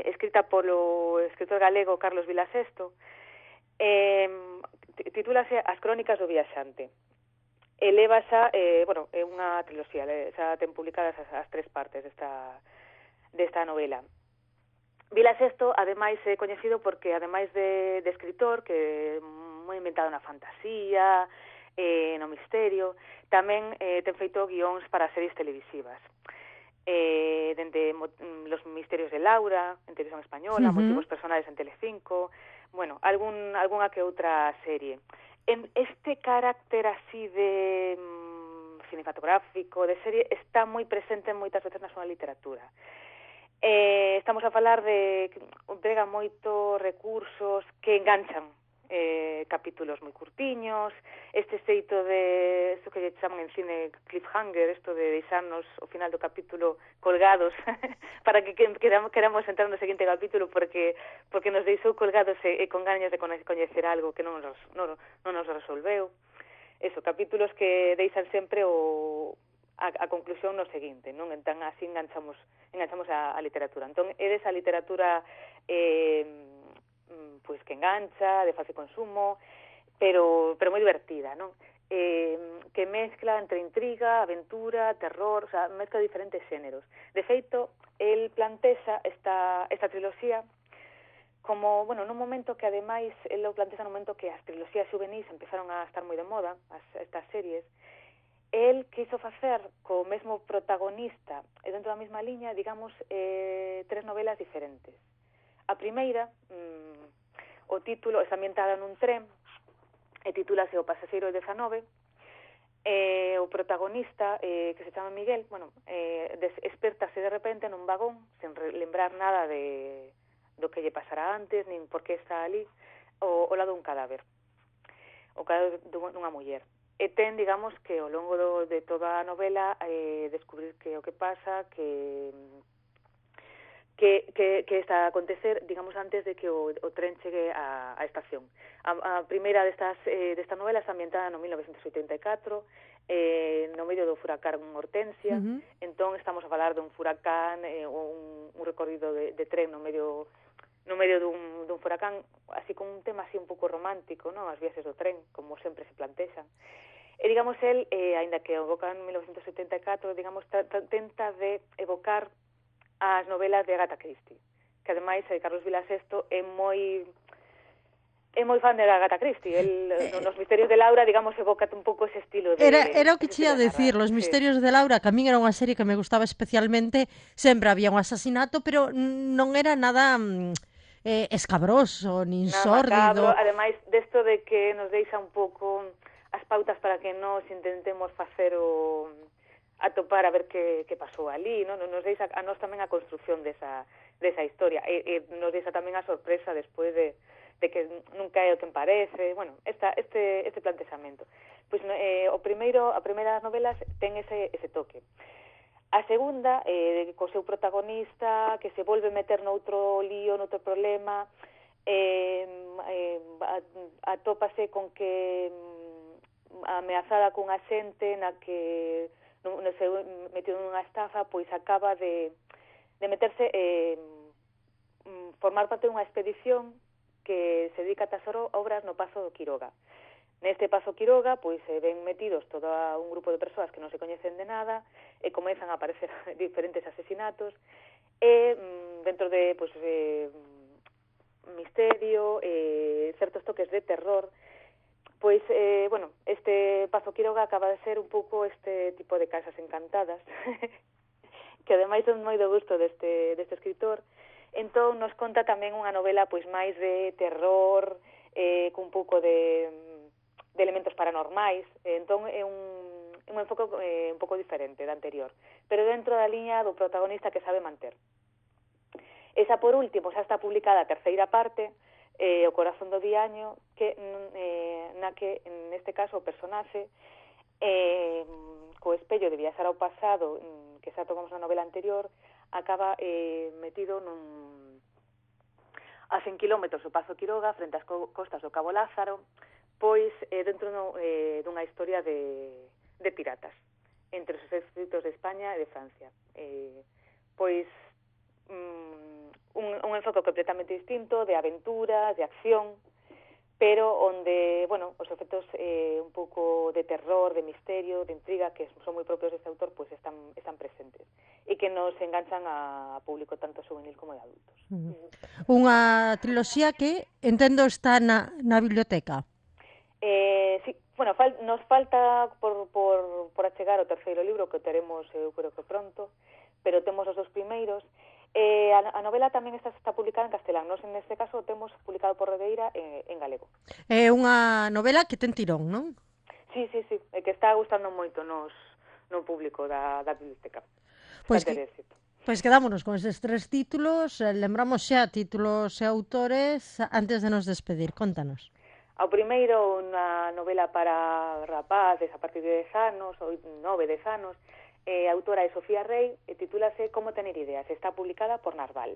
escrita polo escritor galego Carlos Vilasesto, titúlase As crónicas do viaxante. Eleva xa, é unha triloxía, xa ten publicadas as 3 partes desta novela. Vilasesto, ademais, é coñecido porque, ademais de escritor, que é moi inventado na fantasía, no misterio, tamén ten feito guións para series televisivas. Dende Los misterios de Laura, en televisión española, Motivos personales en Telecinco, algunha que outra serie. En este carácter así de cinematográfico, de serie, está moi presente moitas veces na súa literatura. Estamos a falar de que emprega moitos recursos que enganchan capítulos moi curtiños, este xeito de isto que lle chaman en cine cliffhanger, isto de deixarnos ao final do capítulo colgados para que queramos entrar no seguinte capítulo porque nos deixou colgados e con gañas de coñecer algo que non nos resolveu. Eso, capítulos que deixan sempre a conclusión no seguinte, non? Entón así enganchamos a literatura. Entón é desa literatura pois que engancha, de fácil consumo, pero moi divertida, non? Que mezcla entre intriga, aventura, terror, o sea, mezcla diferentes xéneros. De feito, el plantexa esta triloxía como, bueno, nun momento que ademais el lo plantexa nun momento que as triloxías juvenis empezaron a estar moi de moda, estas series. El quiso facer co mesmo protagonista e dentro da mesma liña, digamos, 3 novelas diferentes. A primeira, o título está ambientada nun tren e titúlase O pasaxeiro 19. O protagonista, que se chama Miguel, bueno, despertase de repente nun vagón sen lembrar nada do que lle pasará antes, nin por que está ali, ao lado dun cadáver, o cadáver dunha muller. E ten, digamos, que ao longo de toda a novela descubrir que o que pasa, que está a acontecer, digamos, antes de que o tren chegue á estación. A primeira desta novela está ambientada no 1984, no medio do furacán Hortensia. Entón estamos a falar dun furacán, un recorrido de tren no medio dun furacán, así con un tema así un pouco romántico, non? As viaxes do tren, como sempre se plantexan. E, digamos, el, aínda que evoca en 1974, digamos, tenta de evocar as novelas de Agatha Christie, que ademais Carlos Vilasesto é moi fan de Agatha Christie. Nos Misterios de Laura, digamos, evoca un pouco ese estilo de... Era o que che ia decir, Los Misterios de Laura, que a min era unha serie que me gustaba especialmente, sempre había un asasinato, pero non era nada escabroso, nin sórdido. Ademais, desto de que nos deixa un pouco as pautas para que nos intentemos facer atopar a ver que pasou ali, non? Nos deixa a nós tamén a construción desa historia, e nos deixa tamén a sorpresa despois de que nunca é o que parece, bueno, este plantexamento. Pois a primeira novelas ten ese toque. A segunda, co seu protagonista, que se volve meter noutro lío, noutro problema, atópase con que ameazada cunha xente na que se metido nunha estafa, pois acaba de meterse, formar parte dunha expedición que se dedica a tesoro obras no Pazo do Quiroga. Neste Pazo Quiroga, pois se ven metidos todo un grupo de persoas que non se coñecen de nada e comezan a aparecer diferentes asesinatos e dentro de misterio, certos toques de terror, pois, bueno, este Pazo Quiroga acaba de ser un pouco este tipo de casas encantadas que ademais son moi do gusto deste escritor. Entón nos conta tamén unha novela pois máis de terror, con un pouco de elementos paranormais. Entón é un enfoque un pouco diferente da anterior, pero dentro da liña do protagonista que sabe manter. Esa, por último, xa está publicada a terceira parte, O corazón do diaño, que na que, neste caso, o personaxe co espello de viaxar ao pasado, que xa tocamos na novela anterior, acaba metido a 100 kilómetros do Pazo Quiroga, frente ás costas do Cabo Lázaro, pois dentro dunha historia de piratas entre os exércitos de España e de Francia. Pois un enfoque completamente distinto, de aventura, de acción, pero onde, bueno, os efectos un pouco de terror, de misterio, de intriga, que son moi propios deste autor, pois están presentes e que nos enganchan a público tanto juvenil como de adultos. Unha triloxía que, entendo, está na biblioteca. Sí, bueno, nos falta por achegar o terceiro libro, que teremos, eu creo que pronto, pero temos os dos primeiros. A novela tamén está publicada en castelán. Nos, neste caso, temos publicado por Redeira en galego. É unha novela que ten tirón, non? Sí, que está gustando moito no público da biblioteca. Pois Pois quedámonos con eses 3 títulos, lembramos xa títulos e autores antes de nos despedir, contanos. Ao primeiro, unha novela para rapaces a partir de 10 anos, ou 9-10 anos, a autora é Sofía Rey, e titúlase Como tener ideas, está publicada por Narval.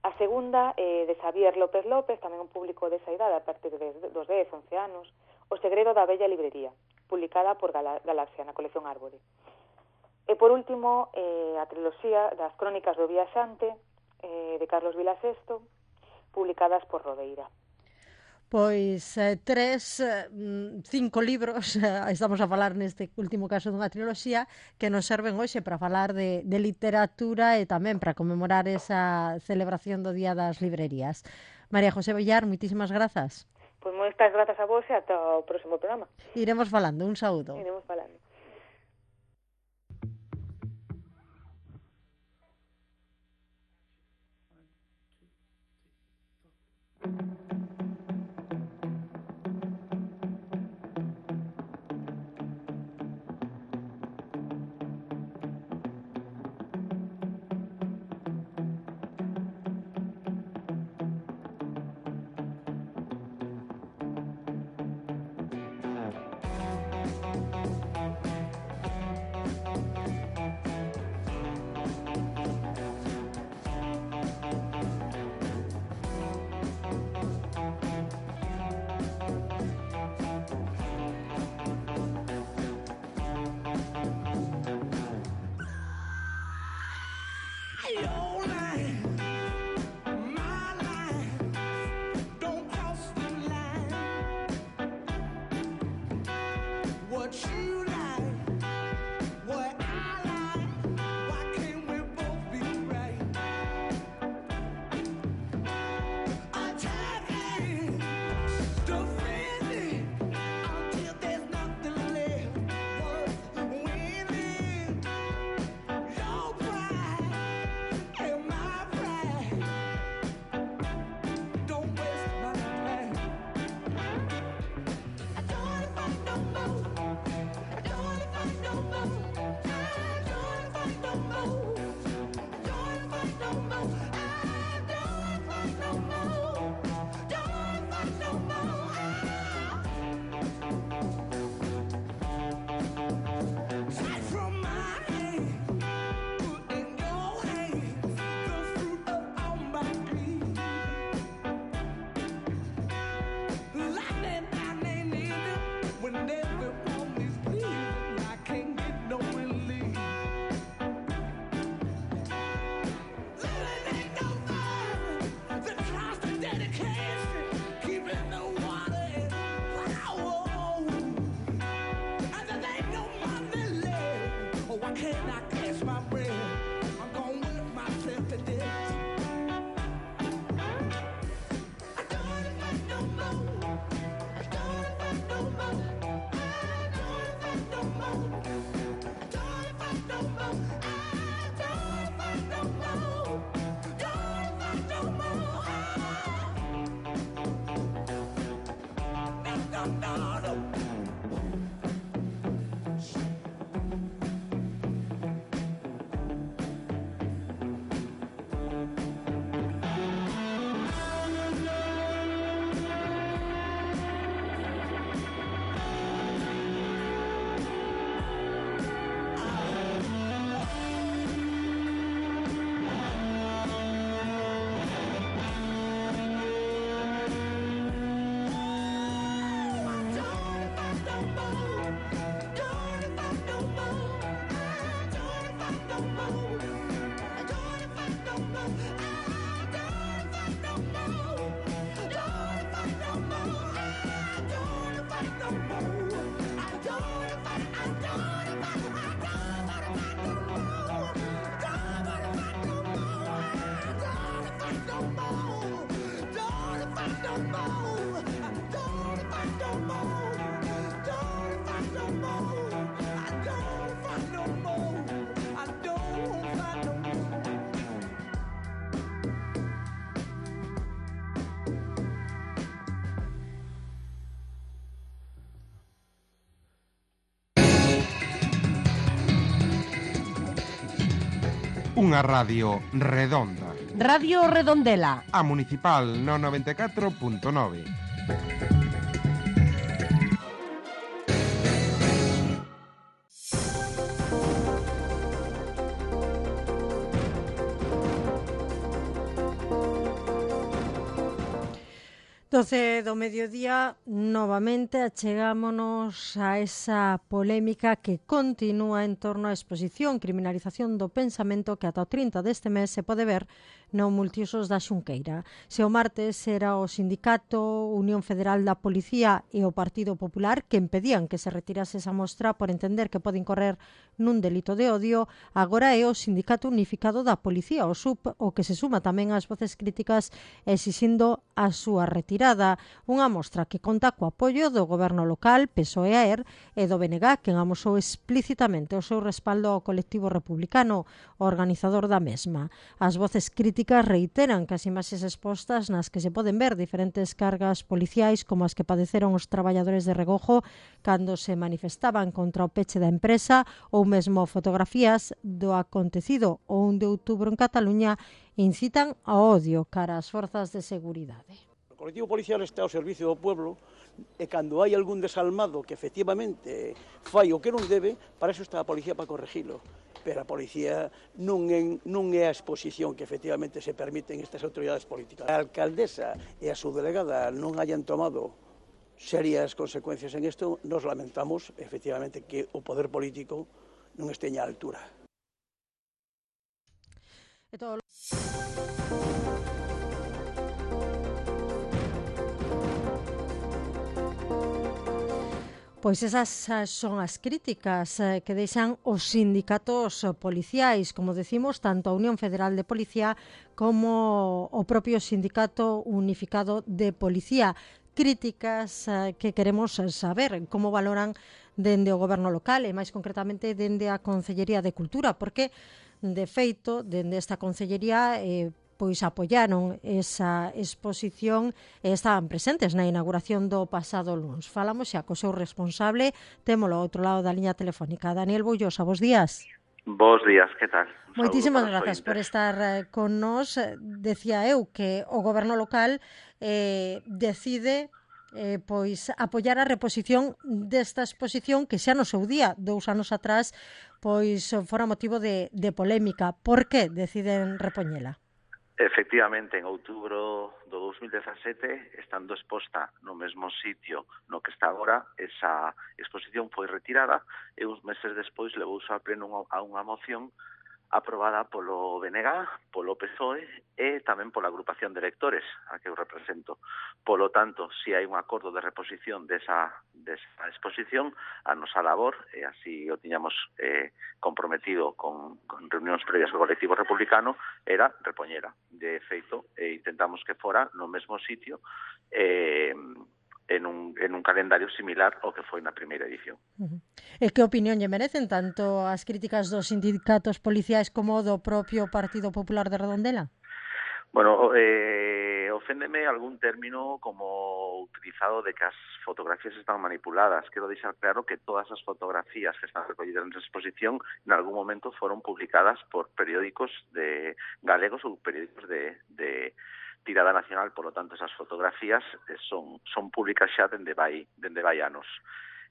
A segunda é de Xavier López López, tamén un público desa idade, a partir dos 10-11 anos, O segredo da bella librería, publicada por Galaxia, na colección Árbore. E por último, a triloxía das Crónicas do Viaxante, de Carlos Vilasesto, publicadas por Rodeira. Pois 5 libros, estamos a falar neste último caso dunha triloxía, que nos serven hoxe para falar de literatura e tamén para conmemorar esa celebración do Día das Librerías. María José Villar, moitísimas grazas. Pois moitas grazas a vos e ata o próximo programa. Iremos falando, un saúdo. Iremos falando. Unha radio redonda. Radio Redondela. A municipal no 94.9. Doce do mediodía, novamente achegámonos a esa polémica que continúa en torno á exposición Criminalización do Pensamento que ata o 30 deste mes se pode ver no Multiusos da Xunqueira. Se o martes era o Sindicato Unión Federal da Policía e o Partido Popular que impedían que se retirase esa mostra por entender que pode incorrer nun delito de odio, agora é o Sindicato Unificado da Policía, o SUP, o que se suma tamén ás voces críticas exixindo a súa retirada. Unha mostra que conta co apoio do goberno local, PSOE-AER, e do BNG, quen amosou explícitamente o seu respaldo ao colectivo republicano, o organizador da mesma. As voces críticas reiteran que as imaxes expostas nas que se poden ver diferentes cargas policiais como as que padeceron os traballadores de Regojo cando se manifestaban contra o peche da empresa ou mesmo fotografías do acontecido o 1 de outubro en Cataluña incitan ao odio cara ás forzas de seguridade. O colectivo policial está ao servicio do pueblo e cando hai algún desalmado que efectivamente fai o que non debe, para eso está a policía para corregilo. Pero a policía non é a exposición que efectivamente se permiten estas autoridades políticas. A alcaldesa e a súa delegada non hayan tomado serias consecuencias en isto, nos lamentamos efectivamente que o poder político non esteña á altura. Pois esas son as críticas que deixan os sindicatos policiais, como decimos, tanto a Unión Federal de Policía como o propio Sindicato Unificado de Policía. Críticas que queremos saber como valoran dende o goberno local e máis concretamente dende a Consellería de Cultura, porque de feito, dende esta Consellería pois apoiaron esa exposición e estaban presentes na inauguración do pasado luns. Falamos xa co seu responsable, témolo ao outro lado da liña telefónica. Daniel Boullosa, bos días. Bos días, que tal? Moitísimas grazas por estar con nós. Decía eu que o goberno local decide pois apoiar a reposición desta exposición que xa no seu día, 2 anos atrás, pois fora motivo de polémica. Por que deciden repoñela? Efectivamente, en outubro do 2017, estando exposta no mesmo sitio no que está agora, esa exposición foi retirada e uns meses despois levouse a pleno a unha moción aprobada polo BNG, polo PSOE e tamén pola agrupación de electores a que eu represento. Polo tanto, se hai un acordo de reposición desa exposición, a nosa labor, e así o tiñamos comprometido con reunións previas co colectivo republicano, era repoñera. De feito, intentamos que fora no mesmo sitio en un calendario similar ao que foi na primeira edición. E que opinión lle merecen tanto as críticas dos sindicatos policiais como do propio Partido Popular de Redondela? Bueno, oféndeme algún término como utilizado de que as fotografías están manipuladas. Quero deixar claro que todas as fotografías que están recollidas nesa exposición en algún momento foron publicadas por periódicos de galegos ou periódicos de tirada nacional, por lo tanto esas fotografías son públicas xa dende vai anos.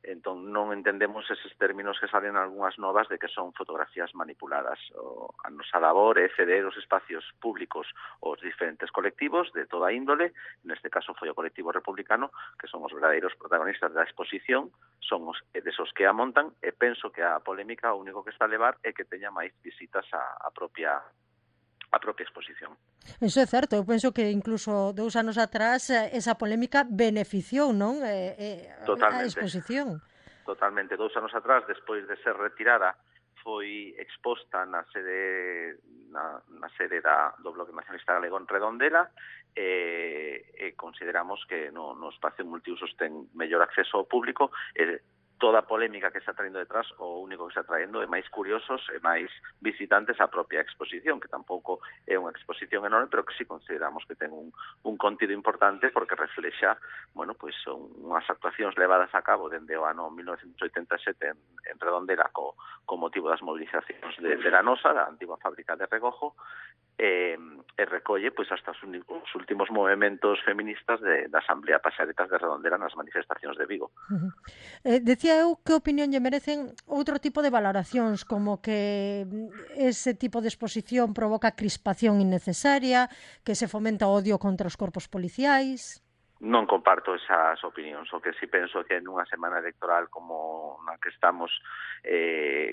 Entón non entendemos eses términos que salen algunhas novas de que son fotografías manipuladas. A nosa labor é ceder os espacios públicos aos diferentes colectivos de toda índole, neste caso foi o colectivo republicano, que son os verdadeiros protagonistas da exposición, son os desos que a montan, e penso que a polémica o único que está a levar é que teña máis visitas a propia exposición. Eso é certo, eu penso que incluso 2 anos atrás esa polémica beneficiou, non? A exposición. Totalmente, 2 anos atrás, despois de ser retirada, foi exposta na sede do Bloque Nacionalista Galego en Redondela e consideramos que no espacio multiusos ten mellor acceso ao público e toda a polémica que está traendo detrás, o único que está traendo é máis curiosos e máis visitantes á propia exposición, que tampouco é unha exposición enorme, pero que sí consideramos que ten un contido importante porque reflexa, bueno, pois son unhas actuacións levadas a cabo dende o ano 1987 en Redondela co motivo das movilizacións de la Nosa, da antigua fábrica de Regojo, e recolle pois hasta os últimos movementos feministas da Asamblea Paxaretas de Redondela nas manifestacións de Vigo. Decía eu que opinión lle merecen outro tipo de valoracións, como que ese tipo de exposición provoca crispación innecesaria, que se fomenta o odio contra os corpos policiais. Non comparto esas opinións, o que si penso que nunha semana electoral como na que estamos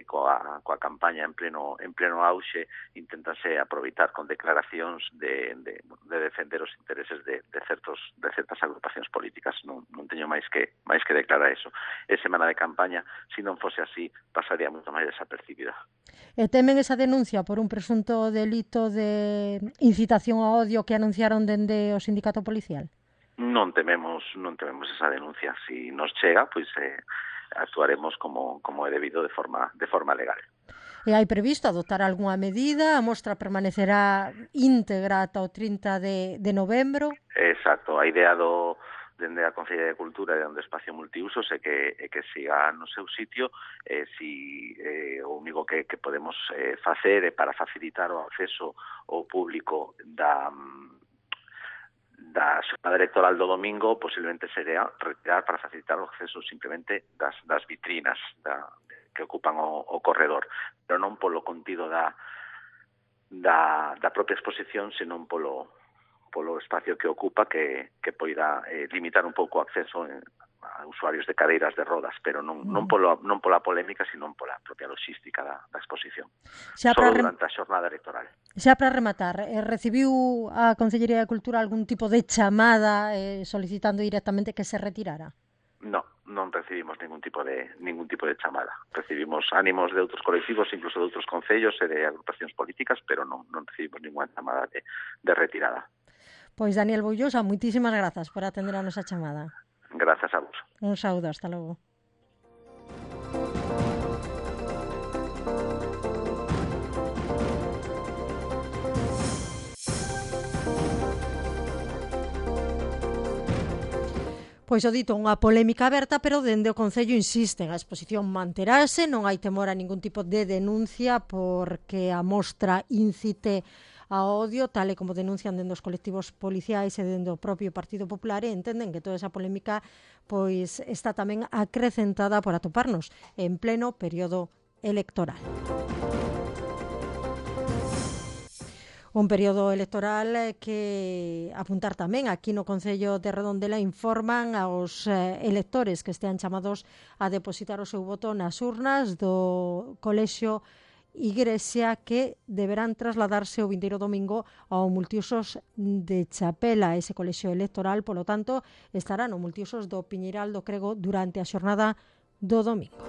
coa campaña en pleno auxe, inténtase aproveitar con declaracións de defender os intereses de certas agrupacións políticas. Non teño máis que declarar eso. É semana de campaña, se non fose así, pasaría moito máis desapercibida. E temen esa denuncia por un presunto delito de incitación ao odio que anunciaron dende o sindicato policial? Non tememos esa denuncia. Si nos chega, pois actuaremos como é debido de forma legal. E hai previsto adoptar algunha medida? A mostra permanecerá íntegra ata o 30 de novembro? Exacto. A idea dende a Consellería de Cultura e do espacio multiusos é que siga no seu sitio. O único que podemos facer é para facilitar o acceso ao público da xornada electoral do domingo, posiblemente sería retirar para facilitar o acceso simplemente das vitrinas que ocupan o corredor, pero non polo contido da propia exposición, senón polo espacio que ocupa, que poida limitar un pouco o acceso a usuarios de cadeiras de rodas, pero non pola polémica, senón pola propia logística da exposición. Só durante a xornada electoral. Xa para rematar, recibiu a Consellería de Cultura algún tipo de chamada solicitando directamente que se retirara? Non recibimos ningún tipo de chamada. Recibimos ánimos de outros colectivos, incluso de outros concellos e de agrupacións políticas, pero non recibimos ninguna chamada de retirada. Pois Daniel Boullosa, moitísimas grazas por atender a nosa chamada. Grazas a vos. Un saúdo, hasta logo. Pois o dito, unha polémica aberta, pero dende o Concello insisten, a exposición manterase, non hai temor a ningún tipo de denuncia porque a mostra incite a odio, tal e como denuncian dende os colectivos policiais e dende o propio Partido Popular, e entenden que toda esa polémica pois está tamén acrecentada por atoparnos en pleno período electoral. Un período electoral que apuntar tamén aquí no Concello de Redondela informan aos electores que estean chamados a depositar o seu voto nas urnas do Colexio Igrexa, que deberán trasladarse o vindeiro domingo ao multiusos de Chapela. Ese colexio electoral, polo tanto, estará no multiusos do Piñeiral do Crego durante a xornada do domingo.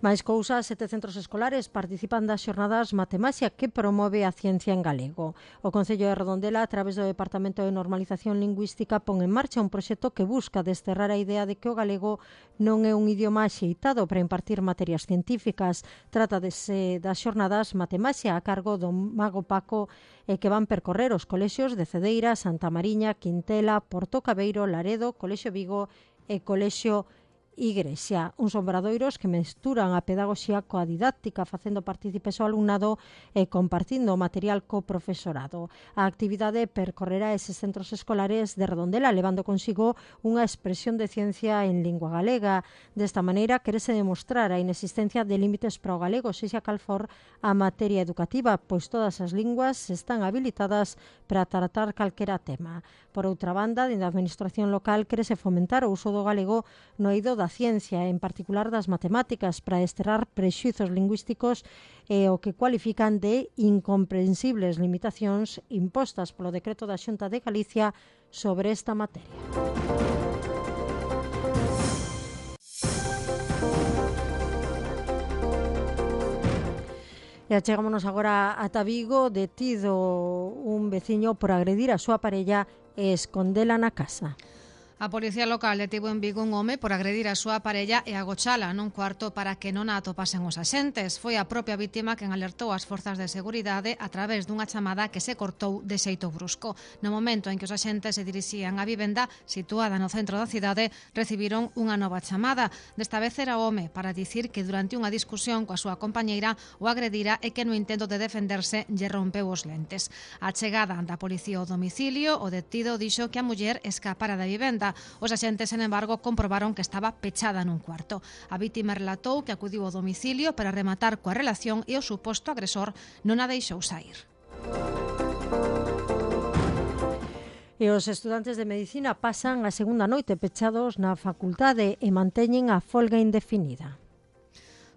Máis cousas, 7 centros escolares participan das xornadas Matemaxia que promove a ciencia en galego. O Concello de Redondela, a través do Departamento de Normalización Lingüística, pon en marcha un proxecto que busca desterrar a idea de que o galego non é un idioma axeitado para impartir materias científicas. Trátase das xornadas Matemaxia a cargo do Mago Paco e que van percorrer os colexios de Cedeira, Santa Mariña, Quintela, Porto Cabeiro, Laredo, Colexio Vigo e Colexio Igrexa, uns obradoiros que mesturan a pedagogía coa didáctica, facendo partícipes ao alumnado e compartindo o material co profesorado. A actividade percorrerá eses centros escolares de Redondela, levando consigo unha expresión de ciencia en lingua galega. Desta maneira, querese demostrar a inexistencia de límites para o galego, sexa cal for a materia educativa, pois todas as linguas están habilitadas para tratar calquera tema. Por outra banda, dende a administración local, querese fomentar o uso do galego no eido da ciencia, en particular das matemáticas, para desterrar prexuizos lingüísticos e o que cualifican de incomprensibles limitacións impostas polo decreto da Xunta de Galicia sobre esta materia. E achegámonos agora ata Vigo, detido un veciño por agredir a súa parella e escondela na casa. A policía local detivo en Vigo un home por agredir a súa parella e agochala nun cuarto para que non a atopasen os axentes. Foi a propia vítima quen alertou as forzas de seguridade a través dunha chamada que se cortou de xeito brusco. No momento en que os axentes se dirixían á vivenda situada no centro da cidade, recibiron unha nova chamada. Desta vez era o home para dicir que durante unha discusión coa súa compañeira o agredira e que no intento de defenderse lle rompeu os lentes. A chegada da policía ao domicilio, o detido dixo que a muller escapara da vivenda. Os axentes, sen embargo, comprobaron que estaba pechada nun cuarto. A vítima relatou que acudiu ao domicilio para rematar coa relación e o suposto agresor non a deixou sair. E os estudantes de Medicina pasan a segunda noite pechados na facultade e manteñen a folga indefinida.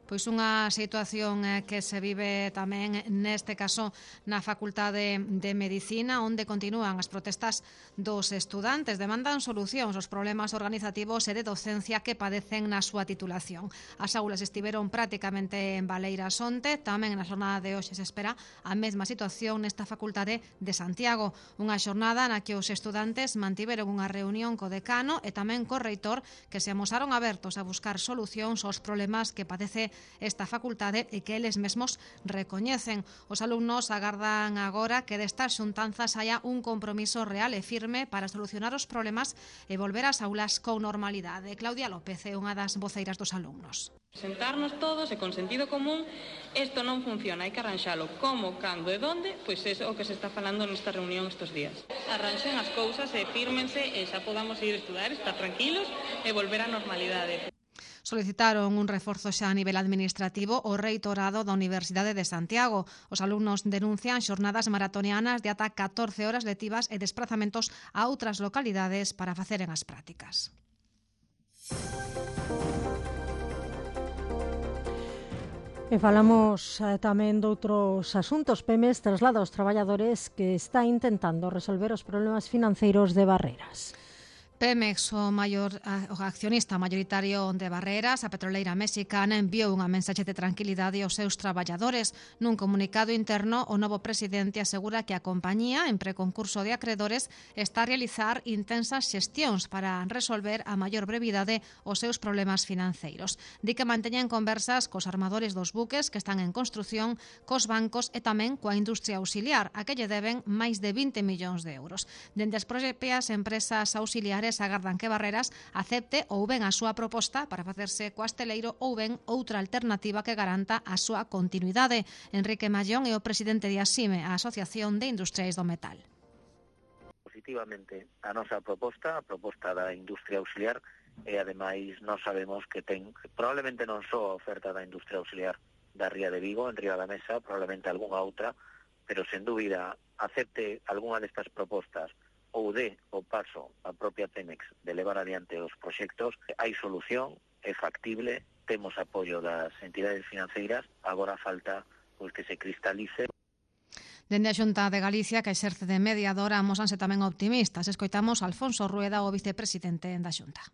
Pois unha situación que se vive tamén neste caso na Facultade de Medicina, onde continúan as protestas dos estudantes. Demandan solucións aos problemas organizativos e de docencia que padecen na súa titulación. As aulas estiveron prácticamente en baleiras onte, tamén na xornada de hoxe se espera a mesma situación nesta Facultade de Santiago. Unha xornada na que os estudantes mantiveron unha reunión co decano e tamén co reitor, que se amosaron abertos a buscar solucións aos problemas que padece esta facultade e que eles mesmos recoñecen. Os alumnos agardan agora que destas xuntanzas haya un compromiso real e firme para solucionar os problemas e volver ás aulas con normalidade. Claudia López é unha das voceiras dos alumnos. Sentarnos todos e con sentido común, isto non funciona, hai que arranxalo. Como, cando e donde, pois é o que se está falando nesta reunión estes días. Arranxen as cousas e fírmense e xa podamos ir a estudar, estar tranquilos e volver á normalidade. Solicitaron un reforzo xa a nivel administrativo ao reitorado da Universidade de Santiago. Os alumnos denuncian xornadas maratonianas de ata 14 horas lectivas e desplazamentos a outras localidades para faceren as prácticas. E falamos tamén doutros asuntos. Pemex traslada aos traballadores que está intentando resolver os problemas financeiros de Barreras. Pemex, o accionista maioritario de Barreras, a petroleira mexicana, enviou unha mensaxe de tranquilidade aos seus traballadores. Nun comunicado interno, o novo presidente asegura que a compañía, en preconcurso de acredores, está a realizar intensas xestións para resolver a maior brevidade os seus problemas financeiros. Di que manteñen conversas cos armadores dos buques que están en construción, cos bancos e tamén coa industria auxiliar, a que lle deben máis de 20 millóns de euros. Dende as propias empresas auxiliares agardan que Barreras acepte ou ben a súa proposta para facerse co asteleiro ou ben outra alternativa que garanta a súa continuidade. Enrique Mallón é o presidente de ASIME, a Asociación de Industriais do Metal. Positivamente a nosa proposta, a proposta da industria auxiliar, e ademais nós sabemos que ten probablemente non só a oferta da industria auxiliar da Ría de Vigo, en Río da Mesa, probablemente algunha outra, pero sen dúbida acepte algunha destas propostas ou de o paso a propia Pemex de levar adiante os proxectos, hai solución, é factible, temos apoio das entidades financeiras, agora falta pois que se cristalice. Dende a Xunta de Galicia, que exerce de mediadora, amosanse tamén optimistas. Escoitamos a Alfonso Rueda, o vicepresidente da Xunta.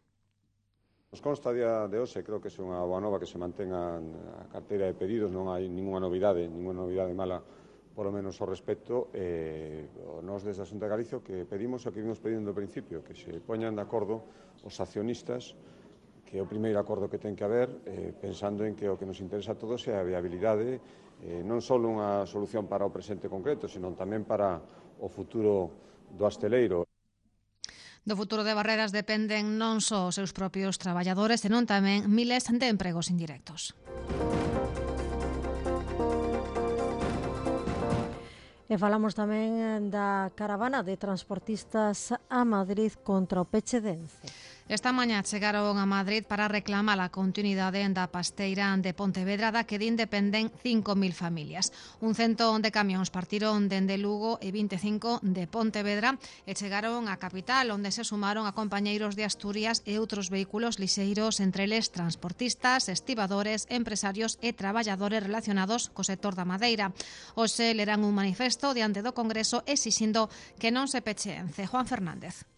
Nos consta a día de hoxe, creo que é unha boa nova que se mantenga a carteira de pedidos, non hai ninguna novidade mala por lo menos ao respecto. Nós desde a Xunta de Galicia que pedimos o que vimos pedindo ao principio, que se poñan de acordo os accionistas, que é o primeiro acordo que ten que haber, pensando en que o que nos interesa a todos é a viabilidade, non só unha solución para o presente concreto, sino tamén para o futuro do asteleiro. Do futuro de Barreras dependen non só os seus propios traballadores, senón tamén miles de empregos indirectos. E falamos tamén da caravana de transportistas a Madrid contra o peche de Ence. Esta mañá chegaron a Madrid para reclamar a continuidade da pasteira de Pontevedra, da que din dependen 5.000 familias. Un cento de camións partiron dende Lugo e 25 de Pontevedra e chegaron á capital, onde se sumaron a compañeiros de Asturias e outros vehículos lixeiros, entre eles transportistas, estibadores, empresarios e traballadores relacionados co sector da madeira. Hoxe lerán un manifesto diante do Congreso exixindo que non se peche Ence. Juan Fernández.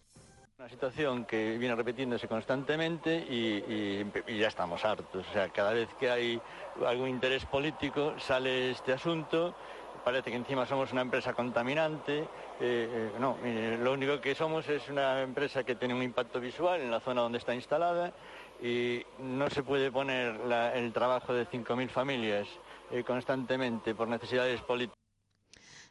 Una situación que viene repitiéndose constantemente y ya estamos hartos. O sea, cada vez que hay algún interés político sale este asunto parece que encima somos una empresa contaminante. No, lo único que somos es una empresa que tiene un impacto visual en la zona donde está instalada y no se puede poner el trabajo de 5.000 familias constantemente por necesidades políticas.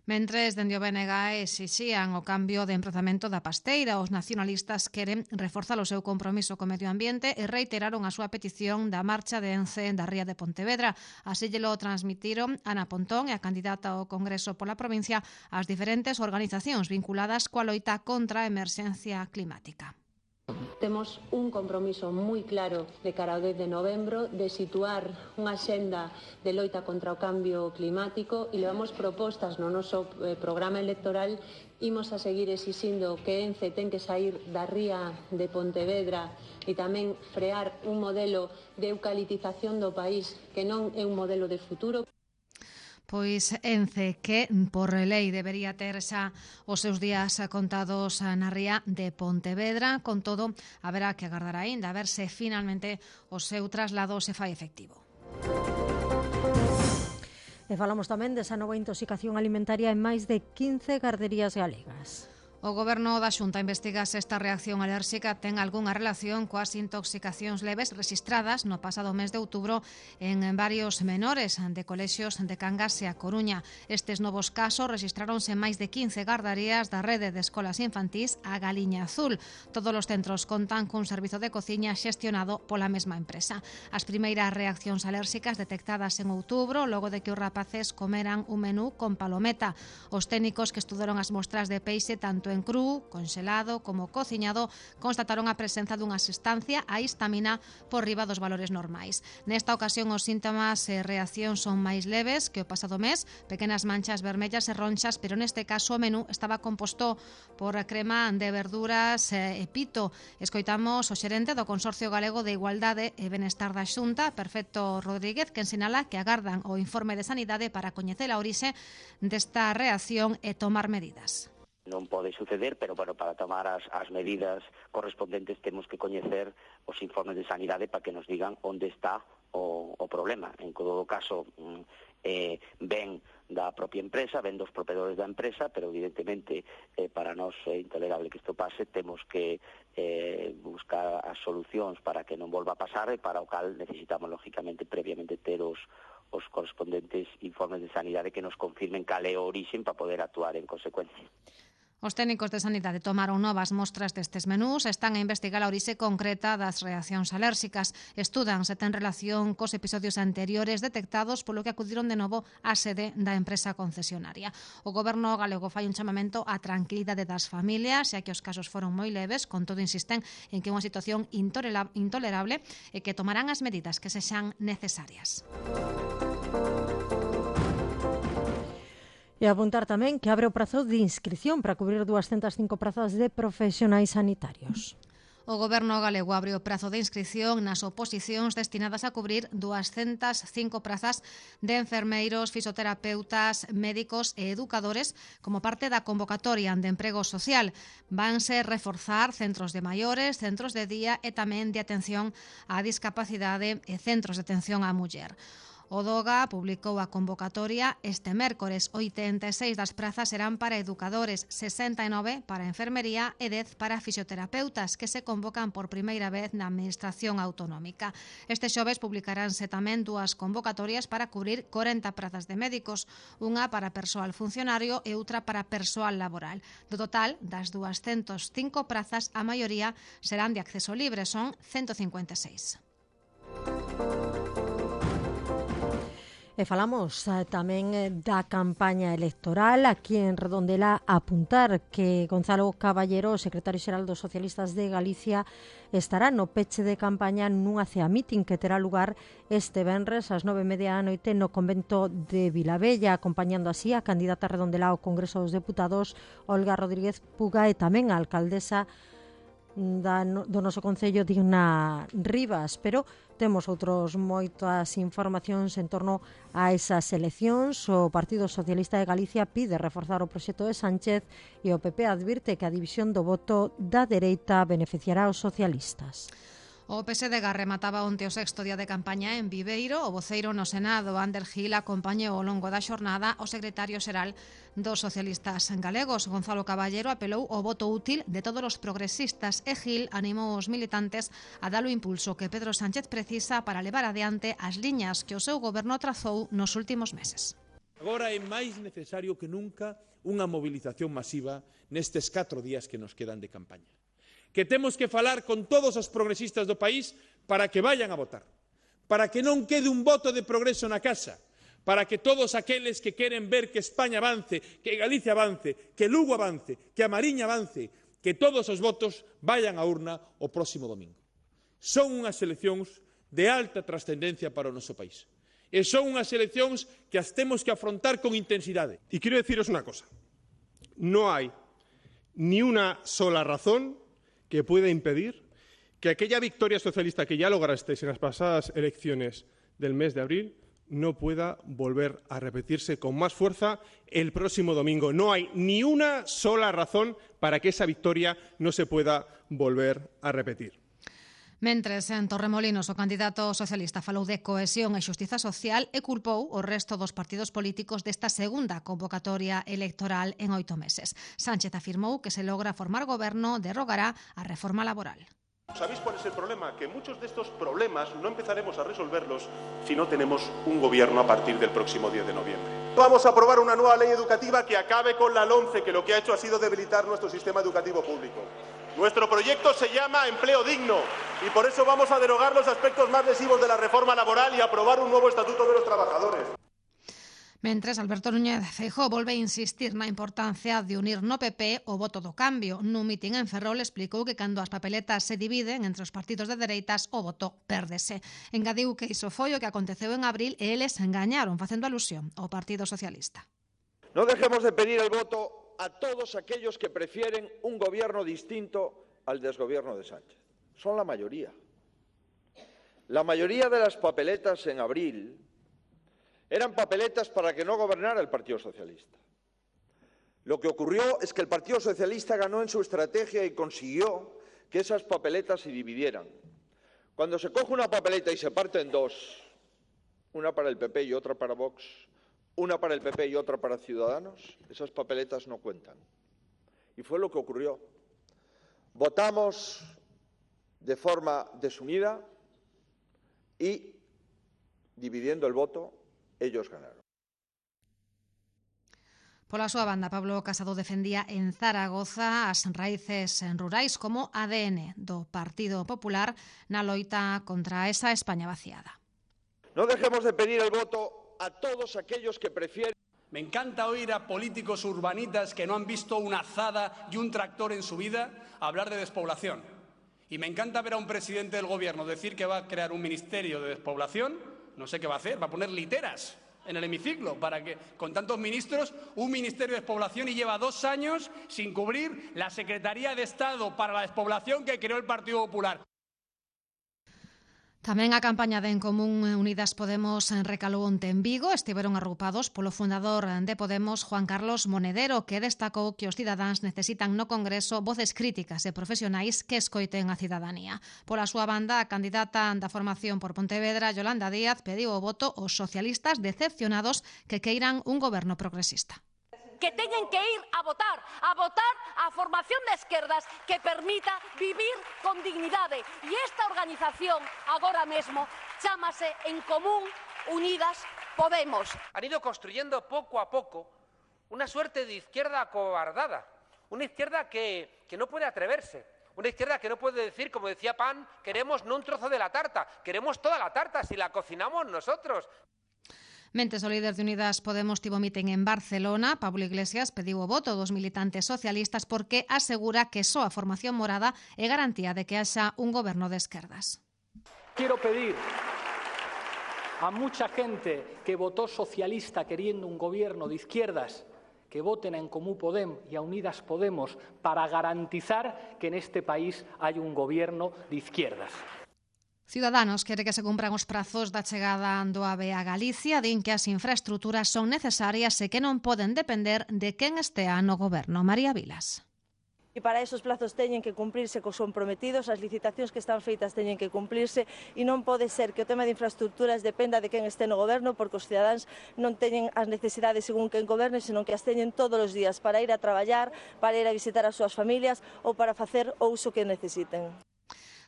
Mentres, dende o BNG exixían o cambio de emprazamento da pasteira, os nacionalistas queren reforzar o seu compromiso co medio ambiente e reiteraron a súa petición da marcha de Ence da ría de Pontevedra. Así lle lo transmitiron Ana Pontón e a candidata ao Congreso pola provincia ás diferentes organizacións vinculadas coa loita contra a emerxencia climática. Temos un compromiso moi claro de cara ao 10 de novembro de situar unha axenda de loita contra o cambio climático e levamos propostas no noso programa electoral. Imos a seguir exixindo que Ence ten que sair da ría de Pontevedra e tamén frear un modelo de eucaliptización do país que non é un modelo de futuro. Pois Ence, que por lei debería ter xa os seus días contados na ría de Pontevedra. Con todo, haberá que agardar aínda a ver se finalmente o seu traslado se fai efectivo. E falamos tamén desa nova intoxicación alimentaria en máis de 15 garderías galegas. O Goberno da Xunta investiga se esta reacción alérxica ten algunha relación coas intoxicacións leves rexistradas no pasado mes de outubro en varios menores de colexios de Cangas e A Coruña. Estes novos casos rexistráronse en máis de 15 gardarías da rede de escolas infantís A Galiña Azul. Todos os centros contan cun servizo de cociña xestionado pola mesma empresa. As primeiras reaccións alérxicas detectadas en outubro logo de que os rapaces comeran un menú con palometa. Os técnicos que estudaron as mostras de peixe tanto en cru, conxelado como cociñado constataron a presenza dunha substancia, a histamina, por riba dos valores normais. Nesta ocasión os síntomas e reaccións son máis leves que o pasado mes, pequenas manchas vermellas e ronxas, pero neste caso o menú estaba composto por crema de verduras e pito. Escoitamos o xerente do Consorcio Galego de Igualdade e Benestar da Xunta, Perfecto Rodríguez, que ensinala que agardan o informe de sanidade para coñecer a orixe desta reacción e tomar medidas. Non pode suceder, pero bueno, para tomar as medidas correspondentes temos que coñecer os informes de sanidade para que nos digan onde está o problema. En todo caso, ven da propia empresa, ven dos propiedores da empresa, pero evidentemente para nós é intolerable que isto pase, temos que buscar as solucións para que non volva a pasar e para o cal necesitamos lógicamente previamente ter os correspondentes informes de sanidade que nos confirmen cal é o orixen para poder actuar en consecuencia. Os técnicos de sanidade tomaron novas mostras destes menús e están a investigar a orixe concreta das reaccións alérxicas. Estudan se ten relación cos episodios anteriores detectados, polo que acudiron de novo á sede da empresa concesionaria. O Goberno galego fai un chamamento á tranquilidade das familias, xa que os casos foron moi leves, con todo insisten en que é unha situación intolerable e que tomarán as medidas que sexan necesarias. E apuntar tamén que abre o prazo de inscripción para cubrir 205 prazas de profesionais sanitarios. O Goberno galego abre o prazo de inscripción nas oposicións destinadas a cubrir 205 prazas de enfermeiros, fisioterapeutas, médicos e educadores como parte da convocatoria de emprego social. Vanse reforzar centros de maiores, centros de día e tamén de atención á discapacidade e centros de atención á muller. O DOGA publicou a convocatoria este mércores. 86 das prazas serán para educadores, 69 para enfermería e 10 para fisioterapeutas, que se convocan por primeira vez na Administración Autonómica. Este xoves publicaránse tamén dúas convocatorias para cubrir 40 prazas de médicos, unha para persoal funcionario e outra para persoal laboral. Do total, das 205 prazas, a maioría serán de acceso libre, son 156. E falamos tamén da campaña electoral aquí en Redondela. Apuntar que Gonzalo Caballero, secretario xeral dos Socialistas de Galicia, estará no peche de campaña nunha cea meeting que terá lugar este venres ás 9:30 da noite no convento de Vilabella, acompañando así a candidata Redondela ao Congreso dos Deputados, Olga Rodríguez Puga, e tamén a alcaldesa do noso concello, Digna Rivas. Pero temos moitas informacións en torno a esas eleccións. O Partido Socialista de Galicia pide reforzar o proxecto de Sánchez e o PP advirte que a división do voto da dereita beneficiará aos socialistas. O PSD remataba onte o sexto día de campaña en Viveiro. O voceiro no Senado, Ander Gil, acompañou ao longo da xornada o secretario xeral dos socialistas galegos. Gonzalo Caballero apelou ao voto útil de todos os progresistas e Gil animou os militantes a dar o impulso que Pedro Sánchez precisa para levar adiante as liñas que o seu goberno trazou nos últimos meses. Agora é máis necesario que nunca unha mobilización masiva nestes 4 días que nos quedan de campaña. Que temos que falar con todos os progresistas do país para que vayan a votar, para que non quede un voto de progreso na casa, para que todos aqueles que queren ver que España avance, que Galicia avance, que Lugo avance, que a Mariña avance, que todos os votos vayan á urna o próximo domingo. Son unhas eleccións de alta trascendencia para o noso país. E son unhas eleccións que as temos que afrontar con intensidade. Y quiero deciros una cosa. No hay ni una sola razón que pueda impedir que aquella victoria socialista que ya lograsteis en las pasadas elecciones del mes de abril no pueda volver a repetirse con más fuerza el próximo domingo. No hay ni una sola razón para que esa victoria no se pueda volver a repetir. Mentres, en Torremolinos, o candidato socialista falou de cohesión e xustiza social e culpou o resto dos partidos políticos desta segunda convocatoria electoral en 8 meses. Sánchez afirmou que se logra formar goberno derrogará a reforma laboral. ¿Sabéis cuál es el problema? Que muchos de estos problemas no empezaremos a resolverlos si no tenemos un gobierno a partir del próximo 10 de noviembre. Vamos a aprobar una nueva ley educativa que acabe con la LOMCE, que lo que ha hecho ha sido debilitar nuestro sistema educativo público. Nuestro proyecto se llama Empleo Digno y por eso vamos a derogar los aspectos más lesivos de la reforma laboral y aprobar un nuevo estatuto de los trabajadores. Mentres, Alberto Núñez Feijóo volve a insistir na importancia de unir no PP o voto do cambio. Nun mitin en Ferrol explicou que cando as papeletas se dividen entre os partidos de dereitas, o voto pérdese. Engadiu que iso foi o que aconteceu en abril e eles engañaron, facendo alusión ao Partido Socialista. No dejemos de pedir el voto a todos aquellos que prefieren un gobierno distinto al desgobierno de Sánchez. Son la mayoría. La mayoría de las papeletas en abril eran papeletas para que no gobernara el Partido Socialista. Lo que ocurrió es que el Partido Socialista ganó en su estrategia y consiguió que esas papeletas se dividieran. Cuando se coge una papeleta y se parte en dos, una para el PP y otra para Vox, una para el PP y otra para Ciudadanos, esas papeletas no cuentan. Y fue lo que ocurrió. Votamos de forma desunida y, dividiendo el voto, ellos ganaron. Pola súa banda, Pablo Casado defendía en Zaragoza as raíces rurais como ADN do Partido Popular na loita contra esa España vaciada. No dejemos de pedir el voto a todos aquellos que prefieren. Me encanta oír a políticos urbanitas que no han visto una azada y un tractor en su vida hablar de despoblación. Y me encanta ver a un presidente del gobierno decir que va a crear un ministerio de despoblación. No sé qué va a hacer, va a poner literas en el hemiciclo para que, con tantos ministros, un ministerio de despoblación y lleva 2 años sin cubrir la Secretaría de Estado para la Despoblación que creó el Partido Popular. Tamén a campaña de En Común Unidas Podemos recalou onte en Vigo. Estiveron agrupados polo fundador de Podemos, Juan Carlos Monedero, que destacou que os cidadáns necesitan no Congreso voces críticas e profesionais que escoiten a cidadanía. Pola súa banda, a candidata da formación por Pontevedra, Yolanda Díaz, pediu o voto aos socialistas decepcionados que queiran un goberno progresista. Que teñen que ir a votar a formación de esquerdas que permita vivir con dignidade. E esta organización agora mesmo chámase En Común Unidas Podemos. Han ido construyendo poco a poco una suerte de izquierda acobardada, una izquierda que no puede atreverse, una izquierda que no puede decir, como decía Pan, queremos no un trozo de la tarta, queremos toda la tarta si la cocinamos nosotros. Mentes o líder de Unidas Podemos tivo mitin en Barcelona. Pablo Iglesias pediu o voto dos militantes socialistas porque asegura que só a formación morada é garantía de que haxa un goberno de esquerdas. Quiero pedir a mucha gente que votó socialista queriendo un gobierno de izquierdas que voten a En Común Podem y a Unidas Podemos para garantizar que en este país hay un gobierno de izquierdas. Ciudadanos quere que se cumpran os prazos da chegada do AVE a Galicia, din que as infraestruturas son necesarias e que non poden depender de quen estea no goberno. María Vilas. E para esos plazos teñen que cumplirse cos comprometidos, as licitacións que están feitas teñen que cumplirse e non pode ser que o tema de infraestructuras dependa de quen este no goberno, porque os cidadáns non teñen as necesidades según quen goberne, senón que as teñen todos os días para ir a traballar, para ir a visitar as súas familias ou para facer o uso que necesiten.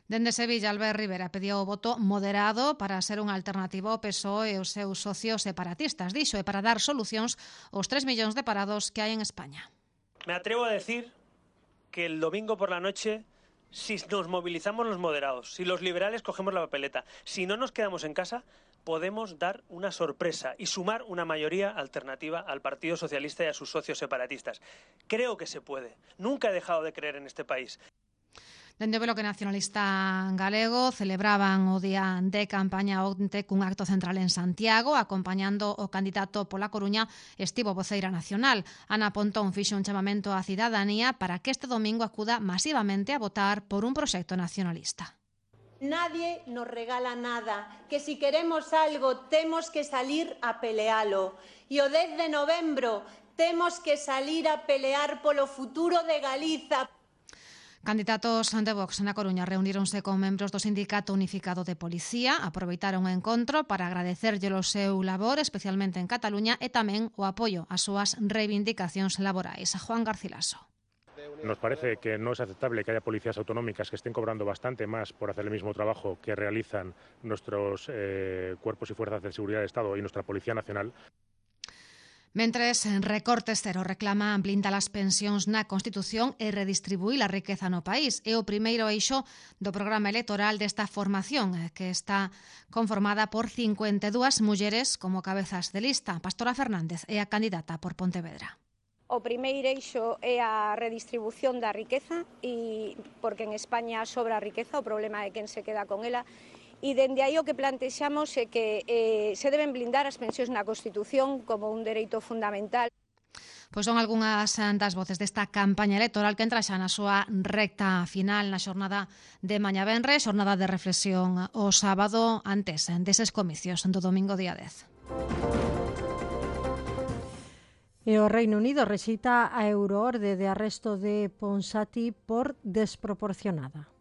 Dende Sevilla, Albert Rivera pediu o voto moderado para ser unha alternativa ao PSOE e os seus socios separatistas, dixo, e para dar solucións aos 3 millóns de parados que hai en España. Me atrevo a decir que el domingo por la noche, si nos movilizamos los moderados, si los liberales cogemos la papeleta, si no nos quedamos en casa, podemos dar una sorpresa y sumar una mayoría alternativa al Partido Socialista y a sus socios separatistas. Creo que se puede. Nunca he dejado de creer en este país. Dende o Bloque Nacionalista Galego celebraban o día de campaña onte cun acto central en Santiago, acompañando o candidato pola Coruña, estivo voceira nacional. Ana Pontón fixo un chamamento á cidadanía para que este domingo acuda masivamente a votar por un proxecto nacionalista. Nadie nos regala nada, que si queremos algo temos que salir a pelealo. E o 10 de novembro temos que salir a pelear polo futuro de Galiza. Candidatos de Vox na Coruña reuníronse con membros do Sindicato Unificado de Policía, aproveitaron o encontro para agradecerlle o seu labor, especialmente en Cataluña, e tamén o apoio ás súas reivindicacións laborais. Juan Garcilaso. Nos parece que no es aceptable que haya policías autonómicas que estén cobrando bastante más por hacer el mismo trabajo que realizan nuestros cuerpos y fuerzas de seguridad del Estado y nuestra Policía Nacional. Mentres Recortes Cero reclama blindar as pensións na Constitución e redistribuir a riqueza no país. É o primeiro eixo do programa electoral desta formación, que está conformada por 52 mulleres como cabezas de lista. Pastora Fernández é a candidata por Pontevedra. O primeiro eixo é a redistribución da riqueza, porque en España sobra a riqueza, o problema é quen se queda con ela. E dende aí o que plantexamos é que se deben blindar as pensións na Constitución como un dereito fundamental. Pois son algunhas das voces desta campaña electoral que entra xa na súa recta final na xornada de mañá venres, xornada de reflexión o sábado antes deses comicios do domingo día 10. E o Reino Unido rexeita a euroorde de arresto de Ponsati por desproporcionada.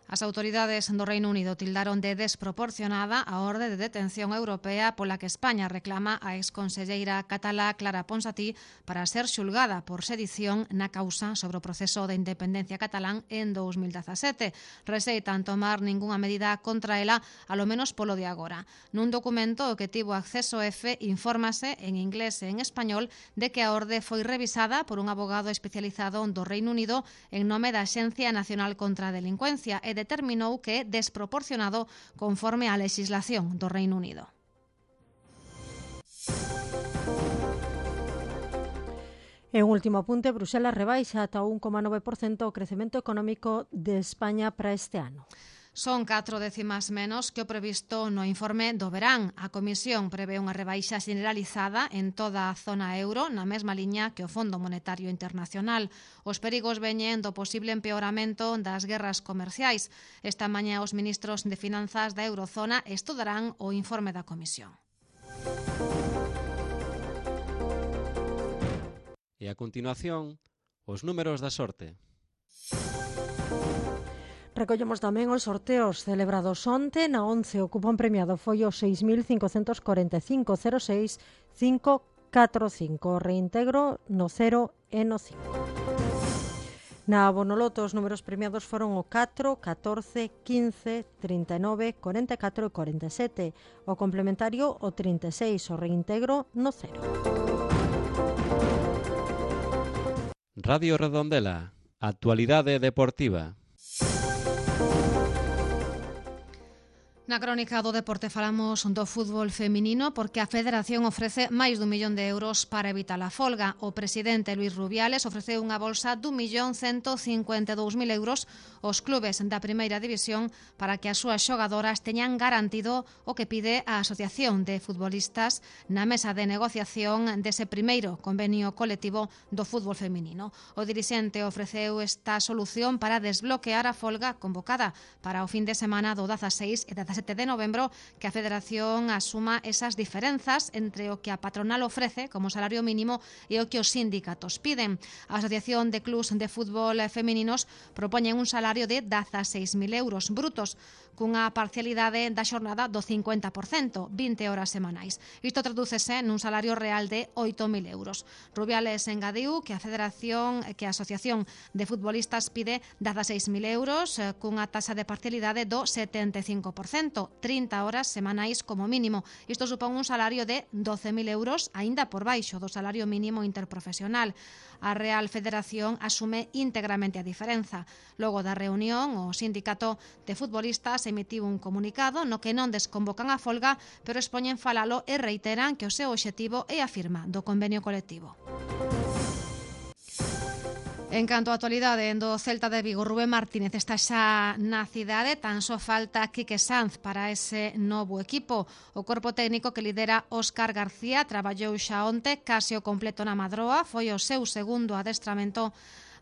As autoridades do Reino Unido tildaron de desproporcionada a orde de detención europea pola que España reclama a exconselleira catalá Clara Ponsatí para ser xulgada por sedición na causa sobre o proceso de independencia catalán en 2017. Rexeitan tomar ningunha medida contra ela, alo menos polo de agora. Nun documento que tivo acceso F, infórmase en inglés e en español de que a orde foi revisada por un abogado especializado do Reino Unido en nome da Axencia Nacional contra a Delincuencia e determinou que é desproporcionado conforme á legislación do Reino Unido. En último apunte, Bruxelas rebaixa ata 1,9% o crecemento económico de España para este ano. Son 4 décimas menos que o previsto no informe do verán. A Comisión prevé unha rebaixa generalizada en toda a zona euro, na mesma liña que o Fondo Monetario Internacional. Os perigos veñen do posible empeoramento das guerras comerciais. Esta mañá os ministros de Finanzas da Eurozona estudarán o informe da Comisión. E a continuación, os números da sorte. Recollemos tamén os sorteos celebrados onte. Na 11 o cupón premiado foi o 6.545.06545. O reintegro no 0 e no 5. Na Bonoloto os números premiados foron o 4, 14, 15, 39, 44 e 47. O complementario o 36, o reintegro no 0. Radio Redondela, actualidade deportiva. Na crónica do deporte falamos do fútbol feminino porque a Federación ofrece máis d'1 millón de euros para evitar a folga. O presidente Luis Rubiales ofreceu unha bolsa d'1.152.000 euros aos clubes da primeira división para que as súas xogadoras teñan garantido o que pide a Asociación de Futbolistas na mesa de negociación dese primeiro convenio colectivo do fútbol feminino. O dirixente ofreceu esta solución para desbloquear a folga convocada para o fin de semana do 16 e 17 7 de novembro que a Federación asuma esas diferenzas entre o que a patronal ofrece como salario mínimo e o que os sindicatos piden. A Asociación de Clubs de Fútbol Femeninos propoñen un salario de 16.000 euros brutos, cunha parcialidade da xornada do 50%, 20 horas semanais. Isto tradúcese nun salario real de 8.000 euros. Rubiales engadiu que a Asociación de Futbolistas pide 16.000 euros cunha taxa de parcialidade do 75%, 30 horas semanais como mínimo. Isto supón un salario de 12.000 euros, aínda por baixo do salario mínimo interprofesional. A Real Federación asume íntegramente a diferenza. Logo da reunión, o sindicato de futbolistas emitiu un comunicado no que non desconvocan a folga, pero expoñen falalo e reiteran que o seu obxectivo é a firma do convenio colectivo. En canto á actualidade do Celta de Vigo, Rubén Martínez está xa na cidade, tan só falta Quique Sanz para ese novo equipo. O corpo técnico que lidera Óscar García traballou xa onte case o completo na Madroa, foi o seu segundo adestramento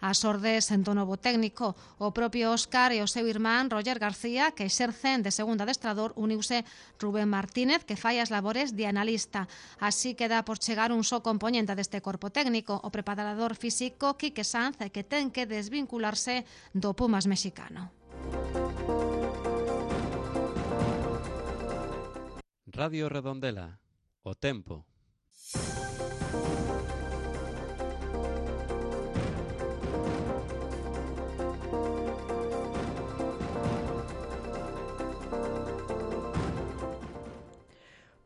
ás ordes do novo técnico. O propio Óscar e o seu irmán Roger García, que exercen de segundo adestrador, uniuse Rubén Martínez, que fai as labores de analista. Así queda por chegar un só componente deste corpo técnico, o preparador físico Quique Sanz, que ten que desvincularse do Pumas mexicano. Radio Redondela, o tempo.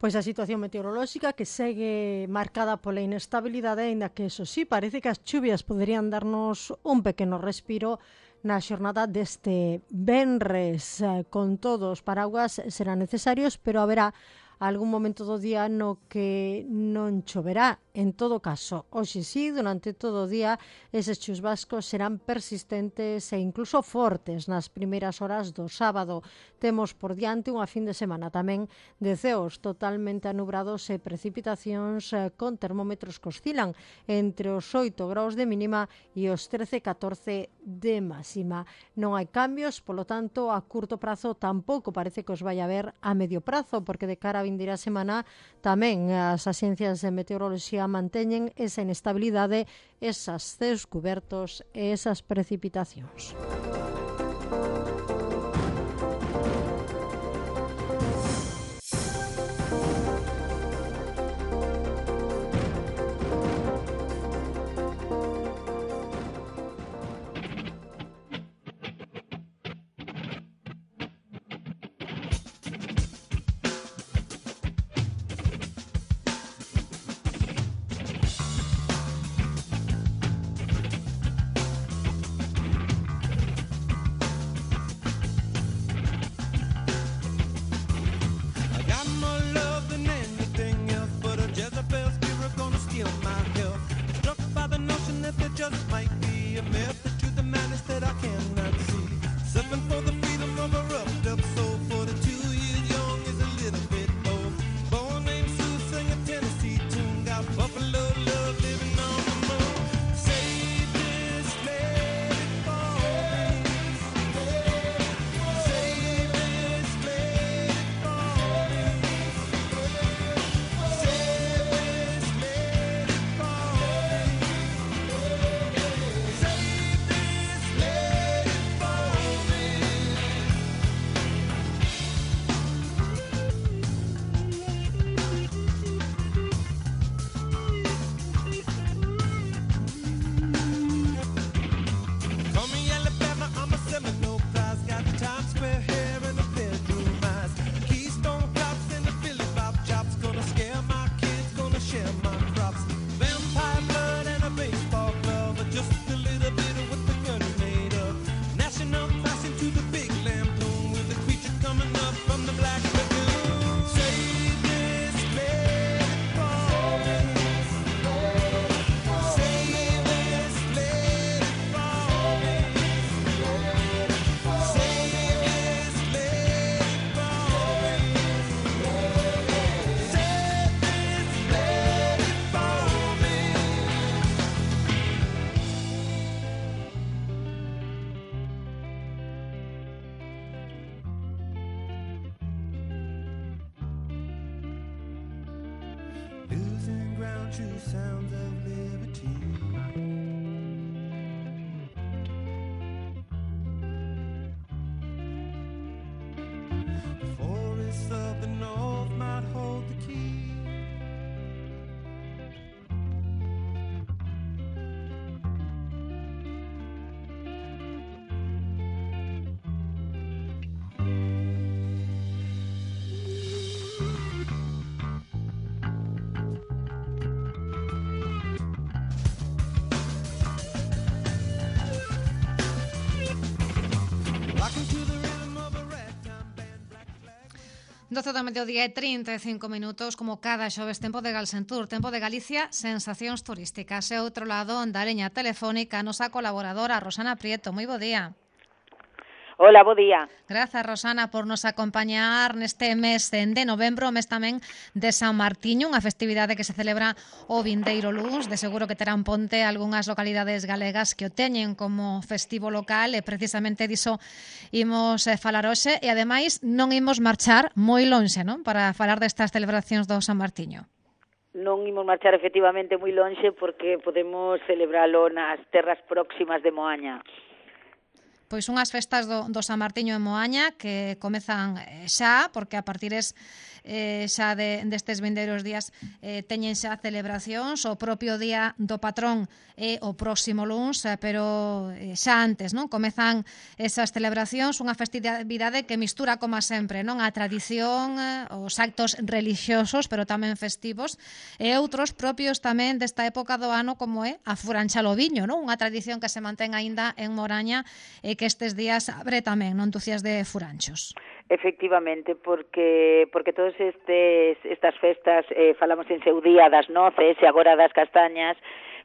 Pois a situación meteorolóxica que segue marcada pola inestabilidade, aínda que, eso sí, parece que as chuvias poderían darnos un pequeno respiro na xornada deste venres. Con todos os paraguas serán necesarios, pero haberá algún momento do día no que non choverá. En todo caso, hoxe sí, durante todo o día, eses chuvascos serán persistentes e incluso fortes nas primeiras horas do sábado. Temos por diante unha fin de semana tamén de ceos totalmente anubrados e precipitacións con termómetros que oscilan entre os 8 graus de mínima e os 13-14 de máxima. Non hai cambios, polo tanto, a curto prazo tampouco parece que os vai haber a medio prazo, porque de cara a vindeira semana tamén as axencias de meteoroloxía manteñen esa inestabilidade, esas ceos cubertos e esas precipitacións. true sounds of liberty. The forests of the north might hold the key. Rocking to the rhythm of a ragtime band, black flag. 12 do mediodía e 35 minutos, como cada xoves, tempo de Galsentur, tempo de Galicia, sensacións turísticas. E outro lado, da liña telefónica, a nosa colaboradora Rosana Prieto. Moi bo día. Hola, bo día. Grazas, Rosana, por nos acompañar neste mes de novembro, mes tamén de San Martiño, unha festividade que se celebra o vindeiro luns. De seguro que terán ponte algunhas localidades galegas que o teñen como festivo local e precisamente diso imos falar hoxe e ademais non imos marchar moi lonxe, non? Para falar destas celebracións do San Martiño. Non imos marchar efectivamente moi lonxe porque podemos celebralo nas terras próximas de Moaña. Pois unhas festas do San Martiño en Moaña que comezan xa, porque a partires xa destes vindeiros días teñen xa celebracións. O propio día do patrón é o próximo luns, pero xa antes, non? Comezan esas celebracións, unha festividade que mistura, como sempre, non? A tradición, os actos relixiosos, pero tamén festivos, e outros propios tamén desta época do ano, como é a furancha o viño, non? Unha tradición que se mantén aínda en Moraña e que estes días abre tamén, non, Tucias de Furanchos. Efectivamente, porque todas estas festas, falamos en seu día das noces e agora das castañas,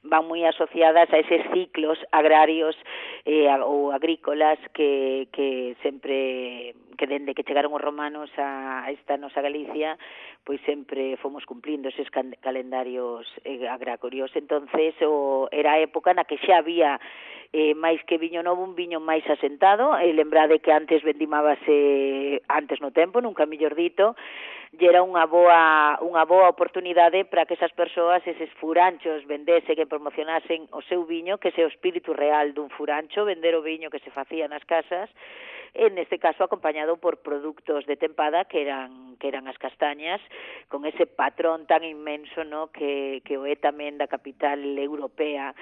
van moi asociadas a eses ciclos agrarios ou agrícolas que sempre, que dende que chegaron os romanos a esta nosa Galicia, pois sempre fomos cumplindo eses calendarios agrarios. Entonces era a época na que xa había máis que viño novo, un viño máis asentado. Lembrade que antes vendimábase antes no tempo, nunca mellor dito, e era unha boa oportunidade para que esas persoas, eses furanchos, vendese, que promocionasen o seu viño, que ese o espírito real dun furancho, vender o viño que se facía nas casas, en este caso acompañado por produtos de tempada que eran as castañas, con ese patrón tan inmenso, no, que o é tamén da capital europea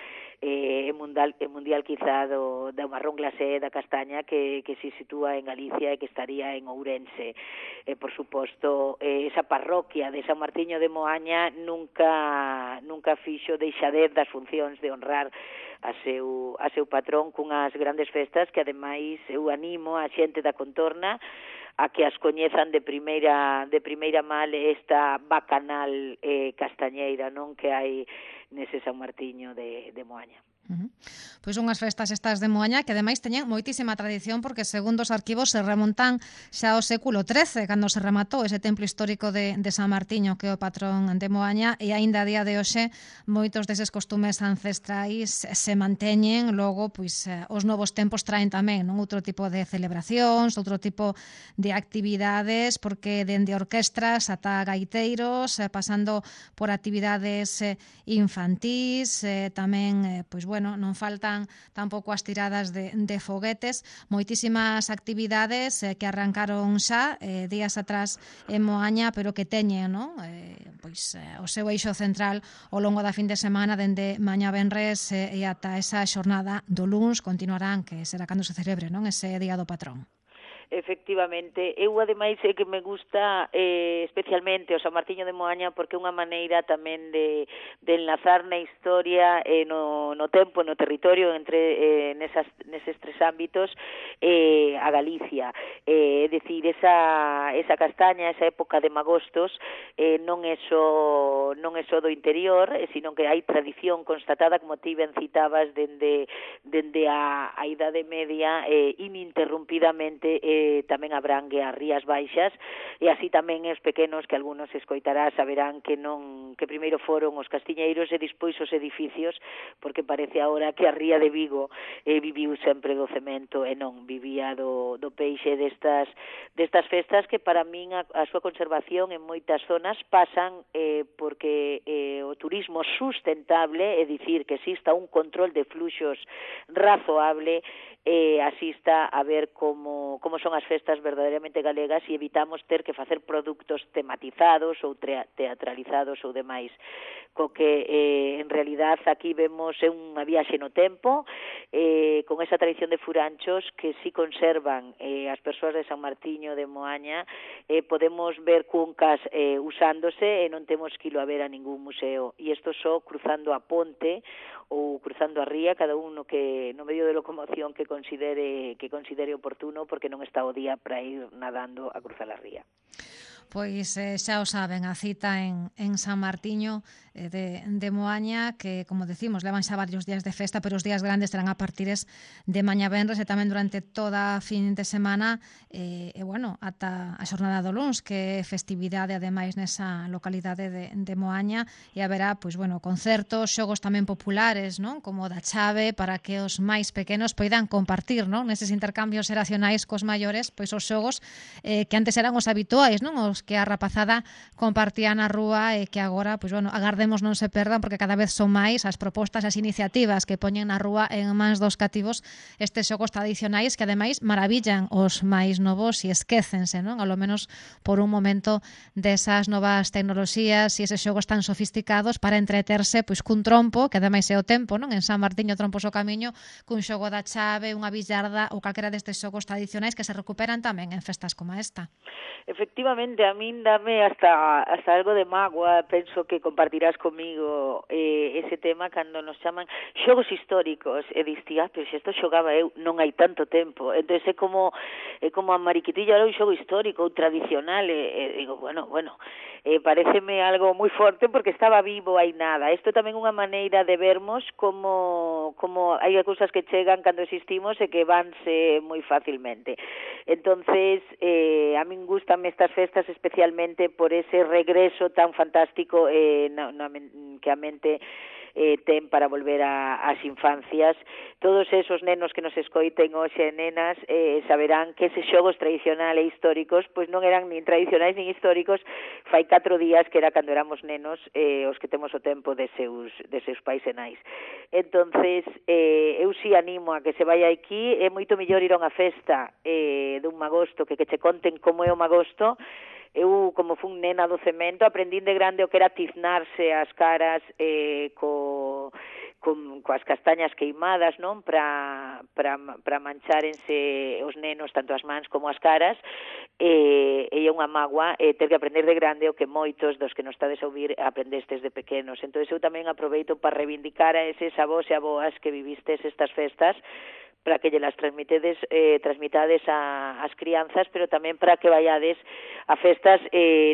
e mundial quizá do marrón glacé da castaña que se sitúa en Galicia e que estaría en Ourense. Por suposto, esa parroquia de San Martiño de Moaña nunca fixo deixadez das funcións de honrar a seu patrón cunhas grandes festas que ademais eu animo a xente da contorna a que as coñezan de primeira mal esta bacanal castañeira, non, que hai nese San Martiño de Moaña. Pois unhas festas estas de Moaña que ademais teñen moitísima tradición porque segundo os arquivos se remontan xa ao século XIII cando se rematou ese templo histórico de San Martiño que é o patrón de Moaña e aínda a día de hoxe moitos deses costumes ancestrais se manteñen. Logo pois os novos tempos traen tamén, non, outro tipo de celebracións, outro tipo de actividades, porque dende orquestras ata gaiteiros, pasando por actividades infantís, tamén pois bueno, non faltan tampouco as tiradas de foguetes, moitísimas actividades que arrancaron xa días atrás en Moaña, pero que teñen, non? Pois o seu eixo central ao longo da fin de semana, dende mañá venres e ata esa xornada do luns continuarán, que será cando se celebre, non, ese día do patrón. Efectivamente, eu ademais é que me gusta especialmente o San Martiño de Moaña porque é unha maneira tamén de enlazar na historia no tempo, no territorio entre neses tres ámbitos a Galicia. É dicir, esa castaña, esa época de magostos non é só do interior, sino que hai tradición constatada, como ti ben citabas, dende a Idade Media ininterrumpidamente tamén abrangue as Rías Baixas, e así tamén os pequenos que algúnos escoitará saberán que primeiro foron os castiñeiros e despois os edificios, porque parece agora que a Ría de Vigo viviu sempre do cemento e non vivía do peixe destas festas, que para min a súa conservación en moitas zonas pasan porque o turismo sustentable, é dicir, que exista un control de fluxos razoable, asista a ver como son as festas verdadeiramente galegas e evitamos ter que facer produtos tematizados ou teatralizados ou demais. Co que, en realidad, aquí vemos unha viaxe no tempo, con esa tradición de furanchos que si conservan as persoas de San Martiño de Moaña. Podemos ver cuncas usándose e non temos que ir a ver a ningún museo. E isto só cruzando a ponte ou cruzando a ría, cada un no medio de locomoción que considere oportuno, porque non está o día para ir nadando a cruzar a ría. Pois xa o saben, a cita en San Martiño de Moaña, que, como decimos, levan xa varios días de festa, pero os días grandes serán a partires de mañá venres e tamén durante toda a fin de semana, ata a xornada do luns, que é festividade ademais nesa localidade de Moaña, e haberá, concertos, xogos tamén populares, non? Como da chave, para que os máis pequenos poidan compartir, non? Neses intercambios xeracionais cos maiores, pois os xogos que antes eran os habituais, non? Os que a rapazada compartía na rúa e que agora, agardemos non se perdan, porque cada vez son máis as propostas, as iniciativas que poñen na rúa en mans dos cativos estes xogos tradicionais que ademais maravillan os máis novos e esquécense, non? Alo menos por un momento desas novas tecnoloxías e eses xogos tan sofisticados para entreterse cun trompo, que ademais é o tempo, non? En San Martiño trompos o camiño, cun xogo da chave, unha billarda ou calquera destes xogos tradicionais que se recuperan tamén en festas como esta. Efectivamente, a min dame hasta algo de mágoa, penso que compartirás comigo ese tema cando nos chaman xogos históricos, e distía, pero se isto xogaba eu non hai tanto tempo, entón é como a mariquitilla era un xogo histórico ou tradicional, e digo, pareceme algo moi forte porque estaba vivo hai nada. Isto tamén unha maneira de vermos como hai cousas que chegan cando existimos e que vanse moi facilmente. Entonces, a min gustame estas festas especialmente por ese regreso tan fantástico que a mente ten para volver ás infancias. Todos esos nenos que nos escoiten hoxe, nenas, saberán que eses xogos tradicionais e históricos pois non eran nin tradicionais nin históricos fai 4 días, que era cando éramos nenos, os que temos o tempo de seus pais e nais. Entonces, eu si animo a que se vai aquí. É moito mellor ir a unha festa dun magosto que che conten como é o magosto. Eu, como fun nena do cemento, aprendín de grande o que era tiznarse as caras coas castañas queimadas, non? Para manchárense os nenos, tanto as mans como as caras, e é unha mágoa ter que aprender de grande o que moitos dos que nos estades a ouvir aprendestes de pequenos. Entón, eu tamén aproveito para reivindicar a eses avós e aboas que vivistes estas festas, para que lles transmitades ás crianzas, pero tamén para que vayades a festas,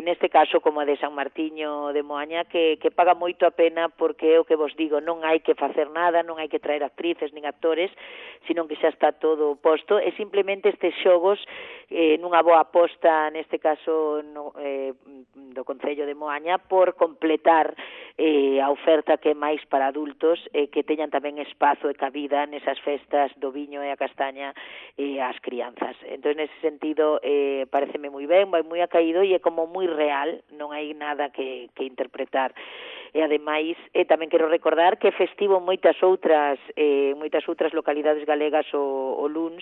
neste caso como a de San Martiño de Moaña, que paga moito a pena, porque é o que vos digo, non hai que facer nada, non hai que traer actrices nin actores, sino que xa está todo posto, e simplemente estes xogos, nunha boa aposta, neste caso do Concello de Moaña, por completar a oferta que é máis para adultos, que teñan tamén espazo e cabida nesas festas do viño e a castaña ás crianzas. Entón, nese sentido, pareceme moi ben, vai moi acaído e é como moi real, non hai nada que interpretar. E ademais, tamén quero recordar que é festivo moitas outras localidades galegas o luns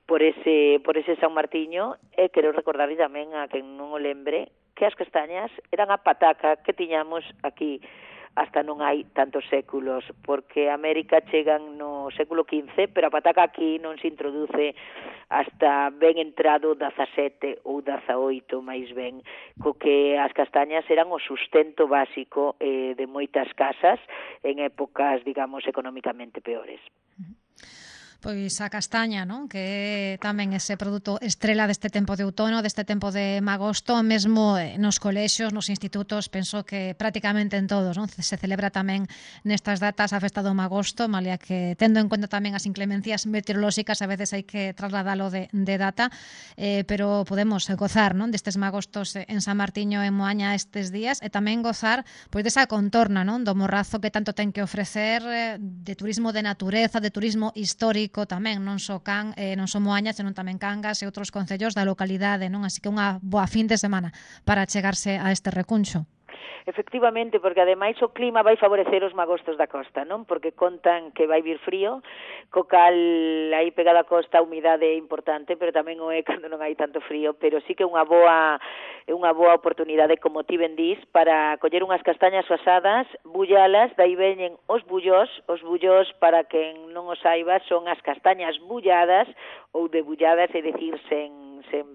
por ese San Martiño, e quero recordar tamén a quen non o lembre que as castañas eran a pataca que tiñamos aquí hasta non hai tantos séculos, porque a América chegan no século XV, pero a pataca aquí non se introduce hasta ben entrado 17 ou 18 máis ben, co que as castañas eran o sustento básico de moitas casas en épocas, digamos, económicamente peores. Pois a castaña, non? Que é tamén ese produto estrela deste tempo de outono, deste tempo de magosto, mesmo nos colexios, nos institutos, penso que prácticamente en todos, non? Se celebra tamén nestas datas a festa do magosto, malia que tendo en conta tamén as inclemencias meteorolóxicas, a veces hai que trasladalo de data, pero podemos gozar, non? Destes magostos en San Martiño e en Moaña estes días e tamén gozar pois desa contorna, non? Do Morrazo que tanto ten que ofrecer de turismo de natureza, de turismo histórico tamén, non só Moaña, senón tamén Cangas e outros concellos da localidade, non? Así que unha boa fin de semana para chegarse a este recuncho. Efectivamente, porque ademais o clima vai favorecer os magostos da costa, non? Porque contan que vai vir frío, co cal aí pegada a costa a humidade é importante, pero tamén o é cando non hai tanto frío, pero sí que é unha boa oportunidade, como ti ben dis, para coller unhas castañas asadas, bullalas, dai veñen os bullós para quen non o saiba, son as castañas bulladas ou debulladas, é dicir, sen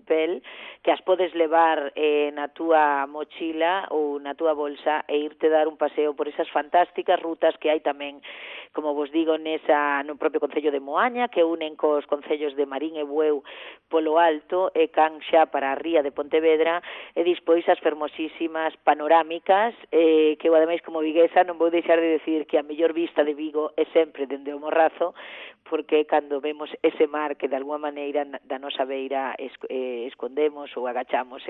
pel, que as podes levar na túa mochila ou na túa bolsa e irte dar un paseo por esas fantásticas rutas que hai tamén, como vos digo, no propio concello de Moaña, que unen cos concellos de Marín e Bueu polo alto e Canxa para a ría de Pontevedra, e dispois as fermosísimas panorámicas, que eu ademais como viguesa non vou deixar de decir que a mellor vista de Vigo é sempre dende o Morrazo, porque cando vemos ese mar que de alguma maneira da nosa beira escondemos ou agachamos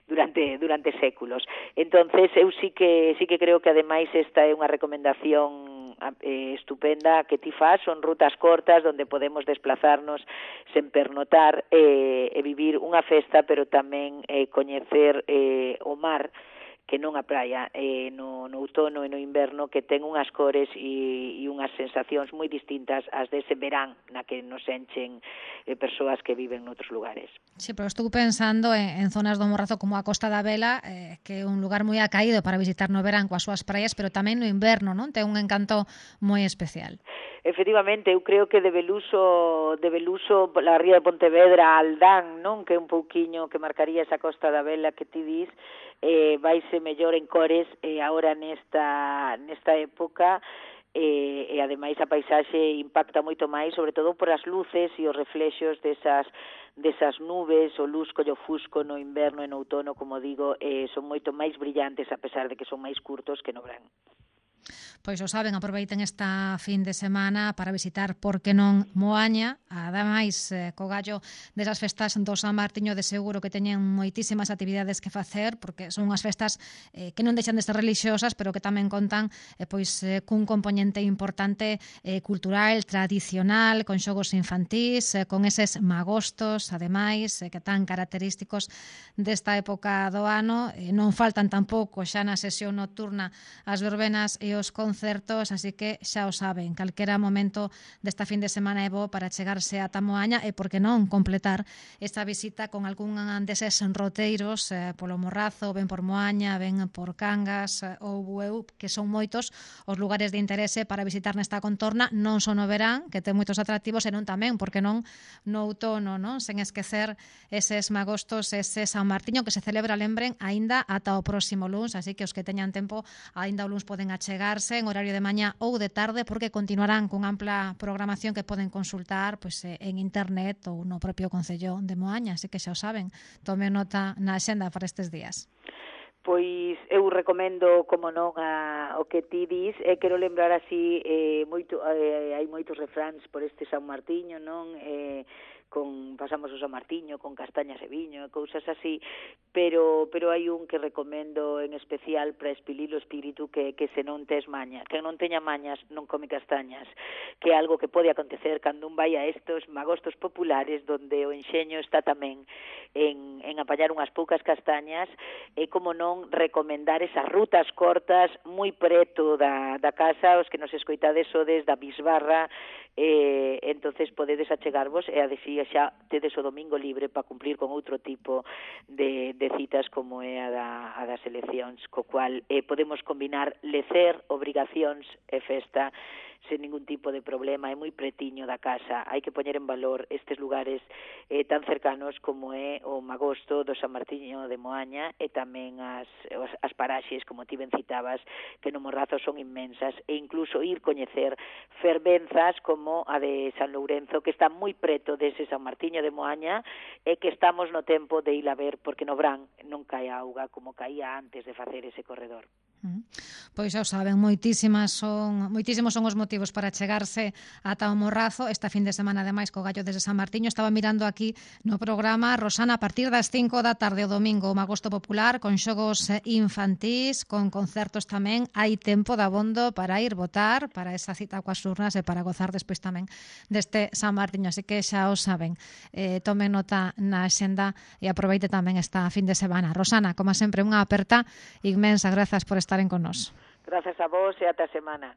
durante séculos. Entonces eu sí que creo que ademais esta é unha recomendación estupenda que ti faz, son rutas cortas onde podemos desplazarnos sen pernotar e vivir unha festa, pero tamén coñecer o mar, que non a praia, no outono e no inverno, que ten unhas cores e unhas sensacións moi distintas ás dese verán na que nos enchen persoas que viven noutros lugares. Sí, pero estou pensando en zonas do Morrazo como a Costa da Vela, que é un lugar moi acaído para visitar no verán coas súas praias, pero tamén no inverno, non? Ten un encanto moi especial. Efectivamente, eu creo que de Beluso la ría de Pontevedra a Aldán, non? Que é un pouquiño que marcaría esa Costa da Vela que ti dis, vaise mellor en cores agora nesta época, e ademais a paisaxe impacta moito máis, sobre todo por as luces e os reflexos desas nubes, o lusco e o fusco no inverno e no outono, como digo, son moito máis brillantes a pesar de que son máis curtos que no verán. Pois o saben, aproveiten esta fin de semana para visitar, por que non, Moaña, ademais co gallo desas festas do San Martiño, de seguro que teñen moitísimas actividades que facer, porque son unhas festas que non deixan de ser religiosas, pero que tamén contan cun componente importante cultural, tradicional, con xogos infantís, con eses magostos, ademais, que tan característicos desta época do ano. Non faltan tampouco xa na sesión nocturna as verbenas e os concertos, así que xa o saben, calquera momento desta fin de semana é bo para chegarse ata Moaña e, por que non, completar esta visita con algún deses roteiros polo Morrazo, ben por Moaña, ben por Cangas ou Bueu, que son moitos os lugares de interese para visitar nesta contorna, non só no verán, que ten moitos atractivos, senón tamén, por que non, no outono, non? Sen esquecer eses magostos, ese San Martiño que se celebra, lembren, aínda ata o próximo luns, así que os que teñan tempo, aínda o luns poden achegarse en horario de mañá ou de tarde, porque continuarán con ampla programación que poden consultar en internet ou no propio Concello de Moaña, así que xa o saben, tome nota na axenda para estes días. Pois eu recomendo, como non, o que ti dis, e quero lembrar así, hai moitos refráns por este San Martiño, non? Pasamos o San Martiño con castañas e viño e cousas así, pero hai un que recomendo en especial para expilir o espírito, que se non tes maña, que non teña mañas non come castañas, que é algo que pode acontecer cando un vai a estos magostos populares donde o enxeño está tamén en apañar unhas poucas castañas, e como non recomendar esas rutas cortas moi preto da casa, os que nos escoitades sodes da Bisbarra, entonces podedes achegarvos e a decir xa tedes o domingo libre para cumplir con outro tipo de citas como é a das eleccións, co cual podemos combinar lecer, obrigacións e festa sen ningún tipo de problema, é moi pretiño da casa. Hai que poñer en valor estes lugares tan cercanos como é o magosto do San Martiño de Moaña, e tamén as paraxes, como ti ben citabas, que no Morrazo son inmensas, e incluso ir coñecer fervenzas como como a de San Lourenzo, que está moi preto dese San Martiño de Moaña, e que estamos no tempo de ir a ver, porque no verán non cae auga como caía antes de facer ese corredor. Pois xa o saben, moitísimos son os motivos para chegarse ata o Morrazo esta fin de semana, ademais, co Gallo desde San Martiño. Estaba mirando aquí no programa, Rosana, a partir das 5 da tarde o domingo, o Magosto Popular, con xogos infantís, con concertos tamén. Hai tempo de abondo para ir votar, para esa cita coas urnas e para gozar despois tamén deste San Martiño. Así que xa o saben, tomen nota na xenda e aproveite tamén esta fin de semana. Rosana, como sempre, unha aperta inmensa. Grazas por estaren con nós. Gracias a vos e ata a semana.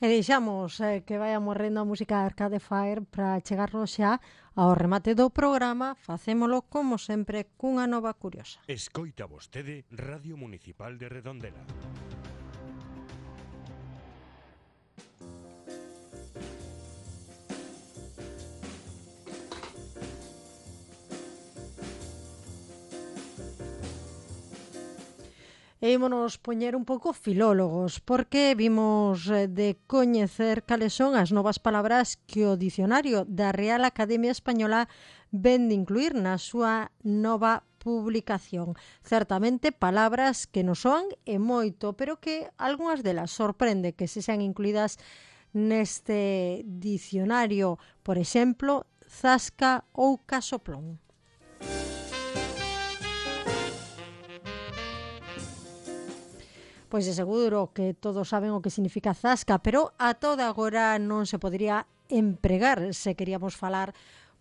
E deixamos que vaya morrendo a música de Arcade Fire para chegarnos xa ao remate do programa. Facémolo, como sempre, cunha nova curiosa. Escoita vostede Radio Municipal de Redondela. E ímonos poñer un pouco filólogos, porque vimos de coñecer cales son as novas palabras que o dicionario da Real Academia Española ven de incluir na súa nova publicación. Certamente palabras que nos soan e moito, pero que algunhas delas sorprende que se sean incluídas neste dicionario. Por exemplo, zasca ou casoplón. Pois de seguro que todos saben o que significa zasca, pero a toda agora non se podería empregar se queríamos falar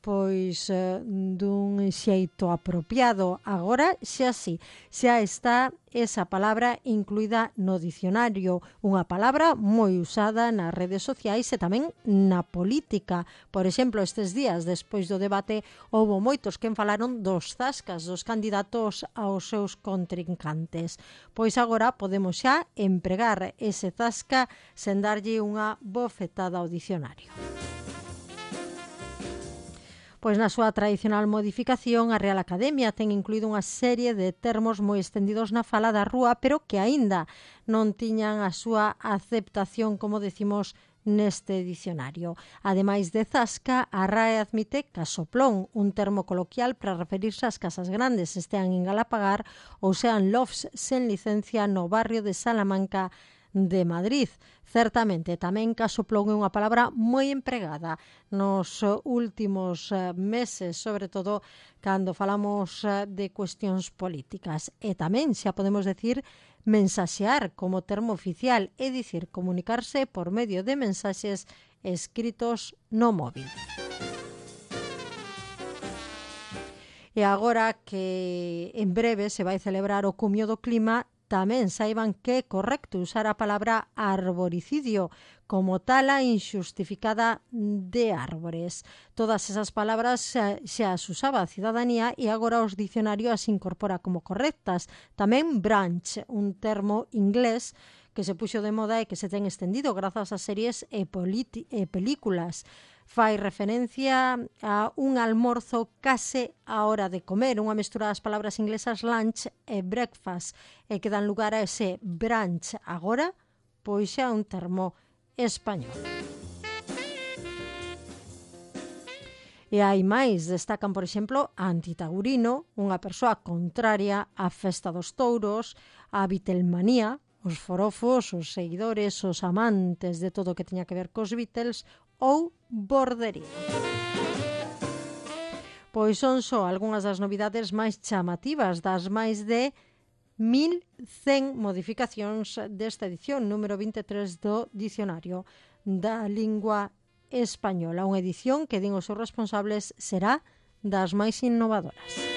pois dun xeito apropiado. Agora xa sí, xa está esa palabra incluída no dicionario, unha palabra moi usada nas redes sociais e tamén na política. Por exemplo, estes días, despois do debate, houbo moitos que falaron dos zascas dos candidatos aos seus contrincantes. Pois agora podemos xa empregar ese zasca sen darlle unha bofetada ao dicionario. Pois na súa tradicional modificación, a Real Academia ten incluído unha serie de termos moi estendidos na fala da rúa, pero que aínda non tiñan a súa aceptación, como decimos, neste dicionario. Ademais de zasca, a RAE admite casoplón, un termo coloquial para referirse ás casas grandes, estean en Galapagar ou sean lofts sen licencia no barrio de Salamanca de Madrid. Certamente, tamén casoplón é unha palabra moi empregada nos últimos meses, sobre todo cando falamos de cuestións políticas. E tamén xa podemos decir mensaxear como termo oficial, é dicir, comunicarse por medio de mensaxes escritos no móvil. E agora que en breve se vai celebrar o Cumio do Clima, tamén saiban que é correcto usar a palabra arboricidio como tala injustificada de árbores. Todas esas palabras xa as usaba a cidadanía e agora os dicionarios as incorpora como correctas. Tamén branch, un termo inglés que se puxo de moda e que se ten estendido grazas a series e películas. Fai referencia a un almorzo case á hora de comer, unha mestura das palabras inglesas lunch e breakfast, e que dan lugar a ese brunch agora, pois xa un termo español. E hai máis, destacan, por exemplo, a antitaurino, unha persoa contraria á festa dos touros, a Beatlemanía, os forofos, os seguidores, os amantes de todo o que teña que ver cos Beatles, ou bordería. Pois son só algunhas das novidades máis chamativas das máis de 1100 modificacións desta edición número 23 do Dicionario da Lingua Española. Unha edición que, din os seus responsables, será das máis innovadoras.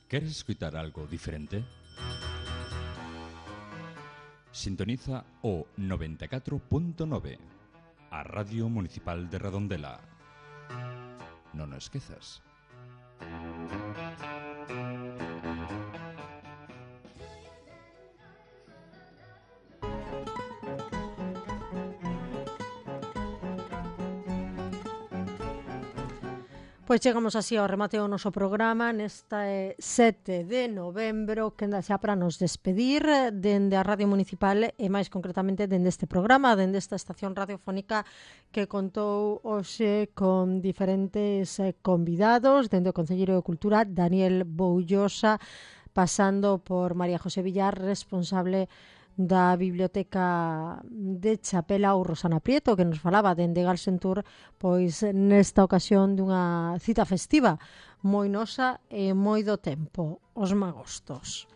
¿Queres escutar algo diferente? Sintoniza o 94.9, a Radio Municipal de Redondela. Non o esquezas. Pois chegamos así ao remate do noso programa nesta 7 de novembro, que anda xa para nos despedir dende a Radio Municipal e máis concretamente dende este programa, dende esta estación radiofónica que contou hoxe con diferentes convidados, dende o Concelleiro de Cultura, Daniel Boullosa, pasando por María José Villar, responsable da Biblioteca de Chapela, ou Rosana Prieto, que nos falaba dende Galsentur, pois nesta ocasión dunha cita festiva moi nosa e moi do tempo, os magostos.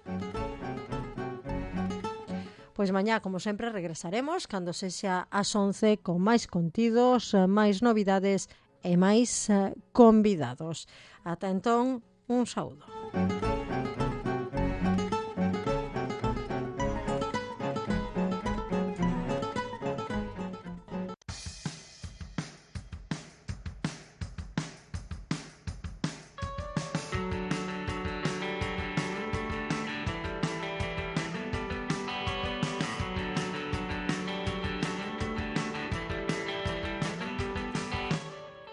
Pois mañá, como sempre, regresaremos cando sexa as 11 con máis contidos, máis novidades e máis convidados. Ata entón, un saúdo.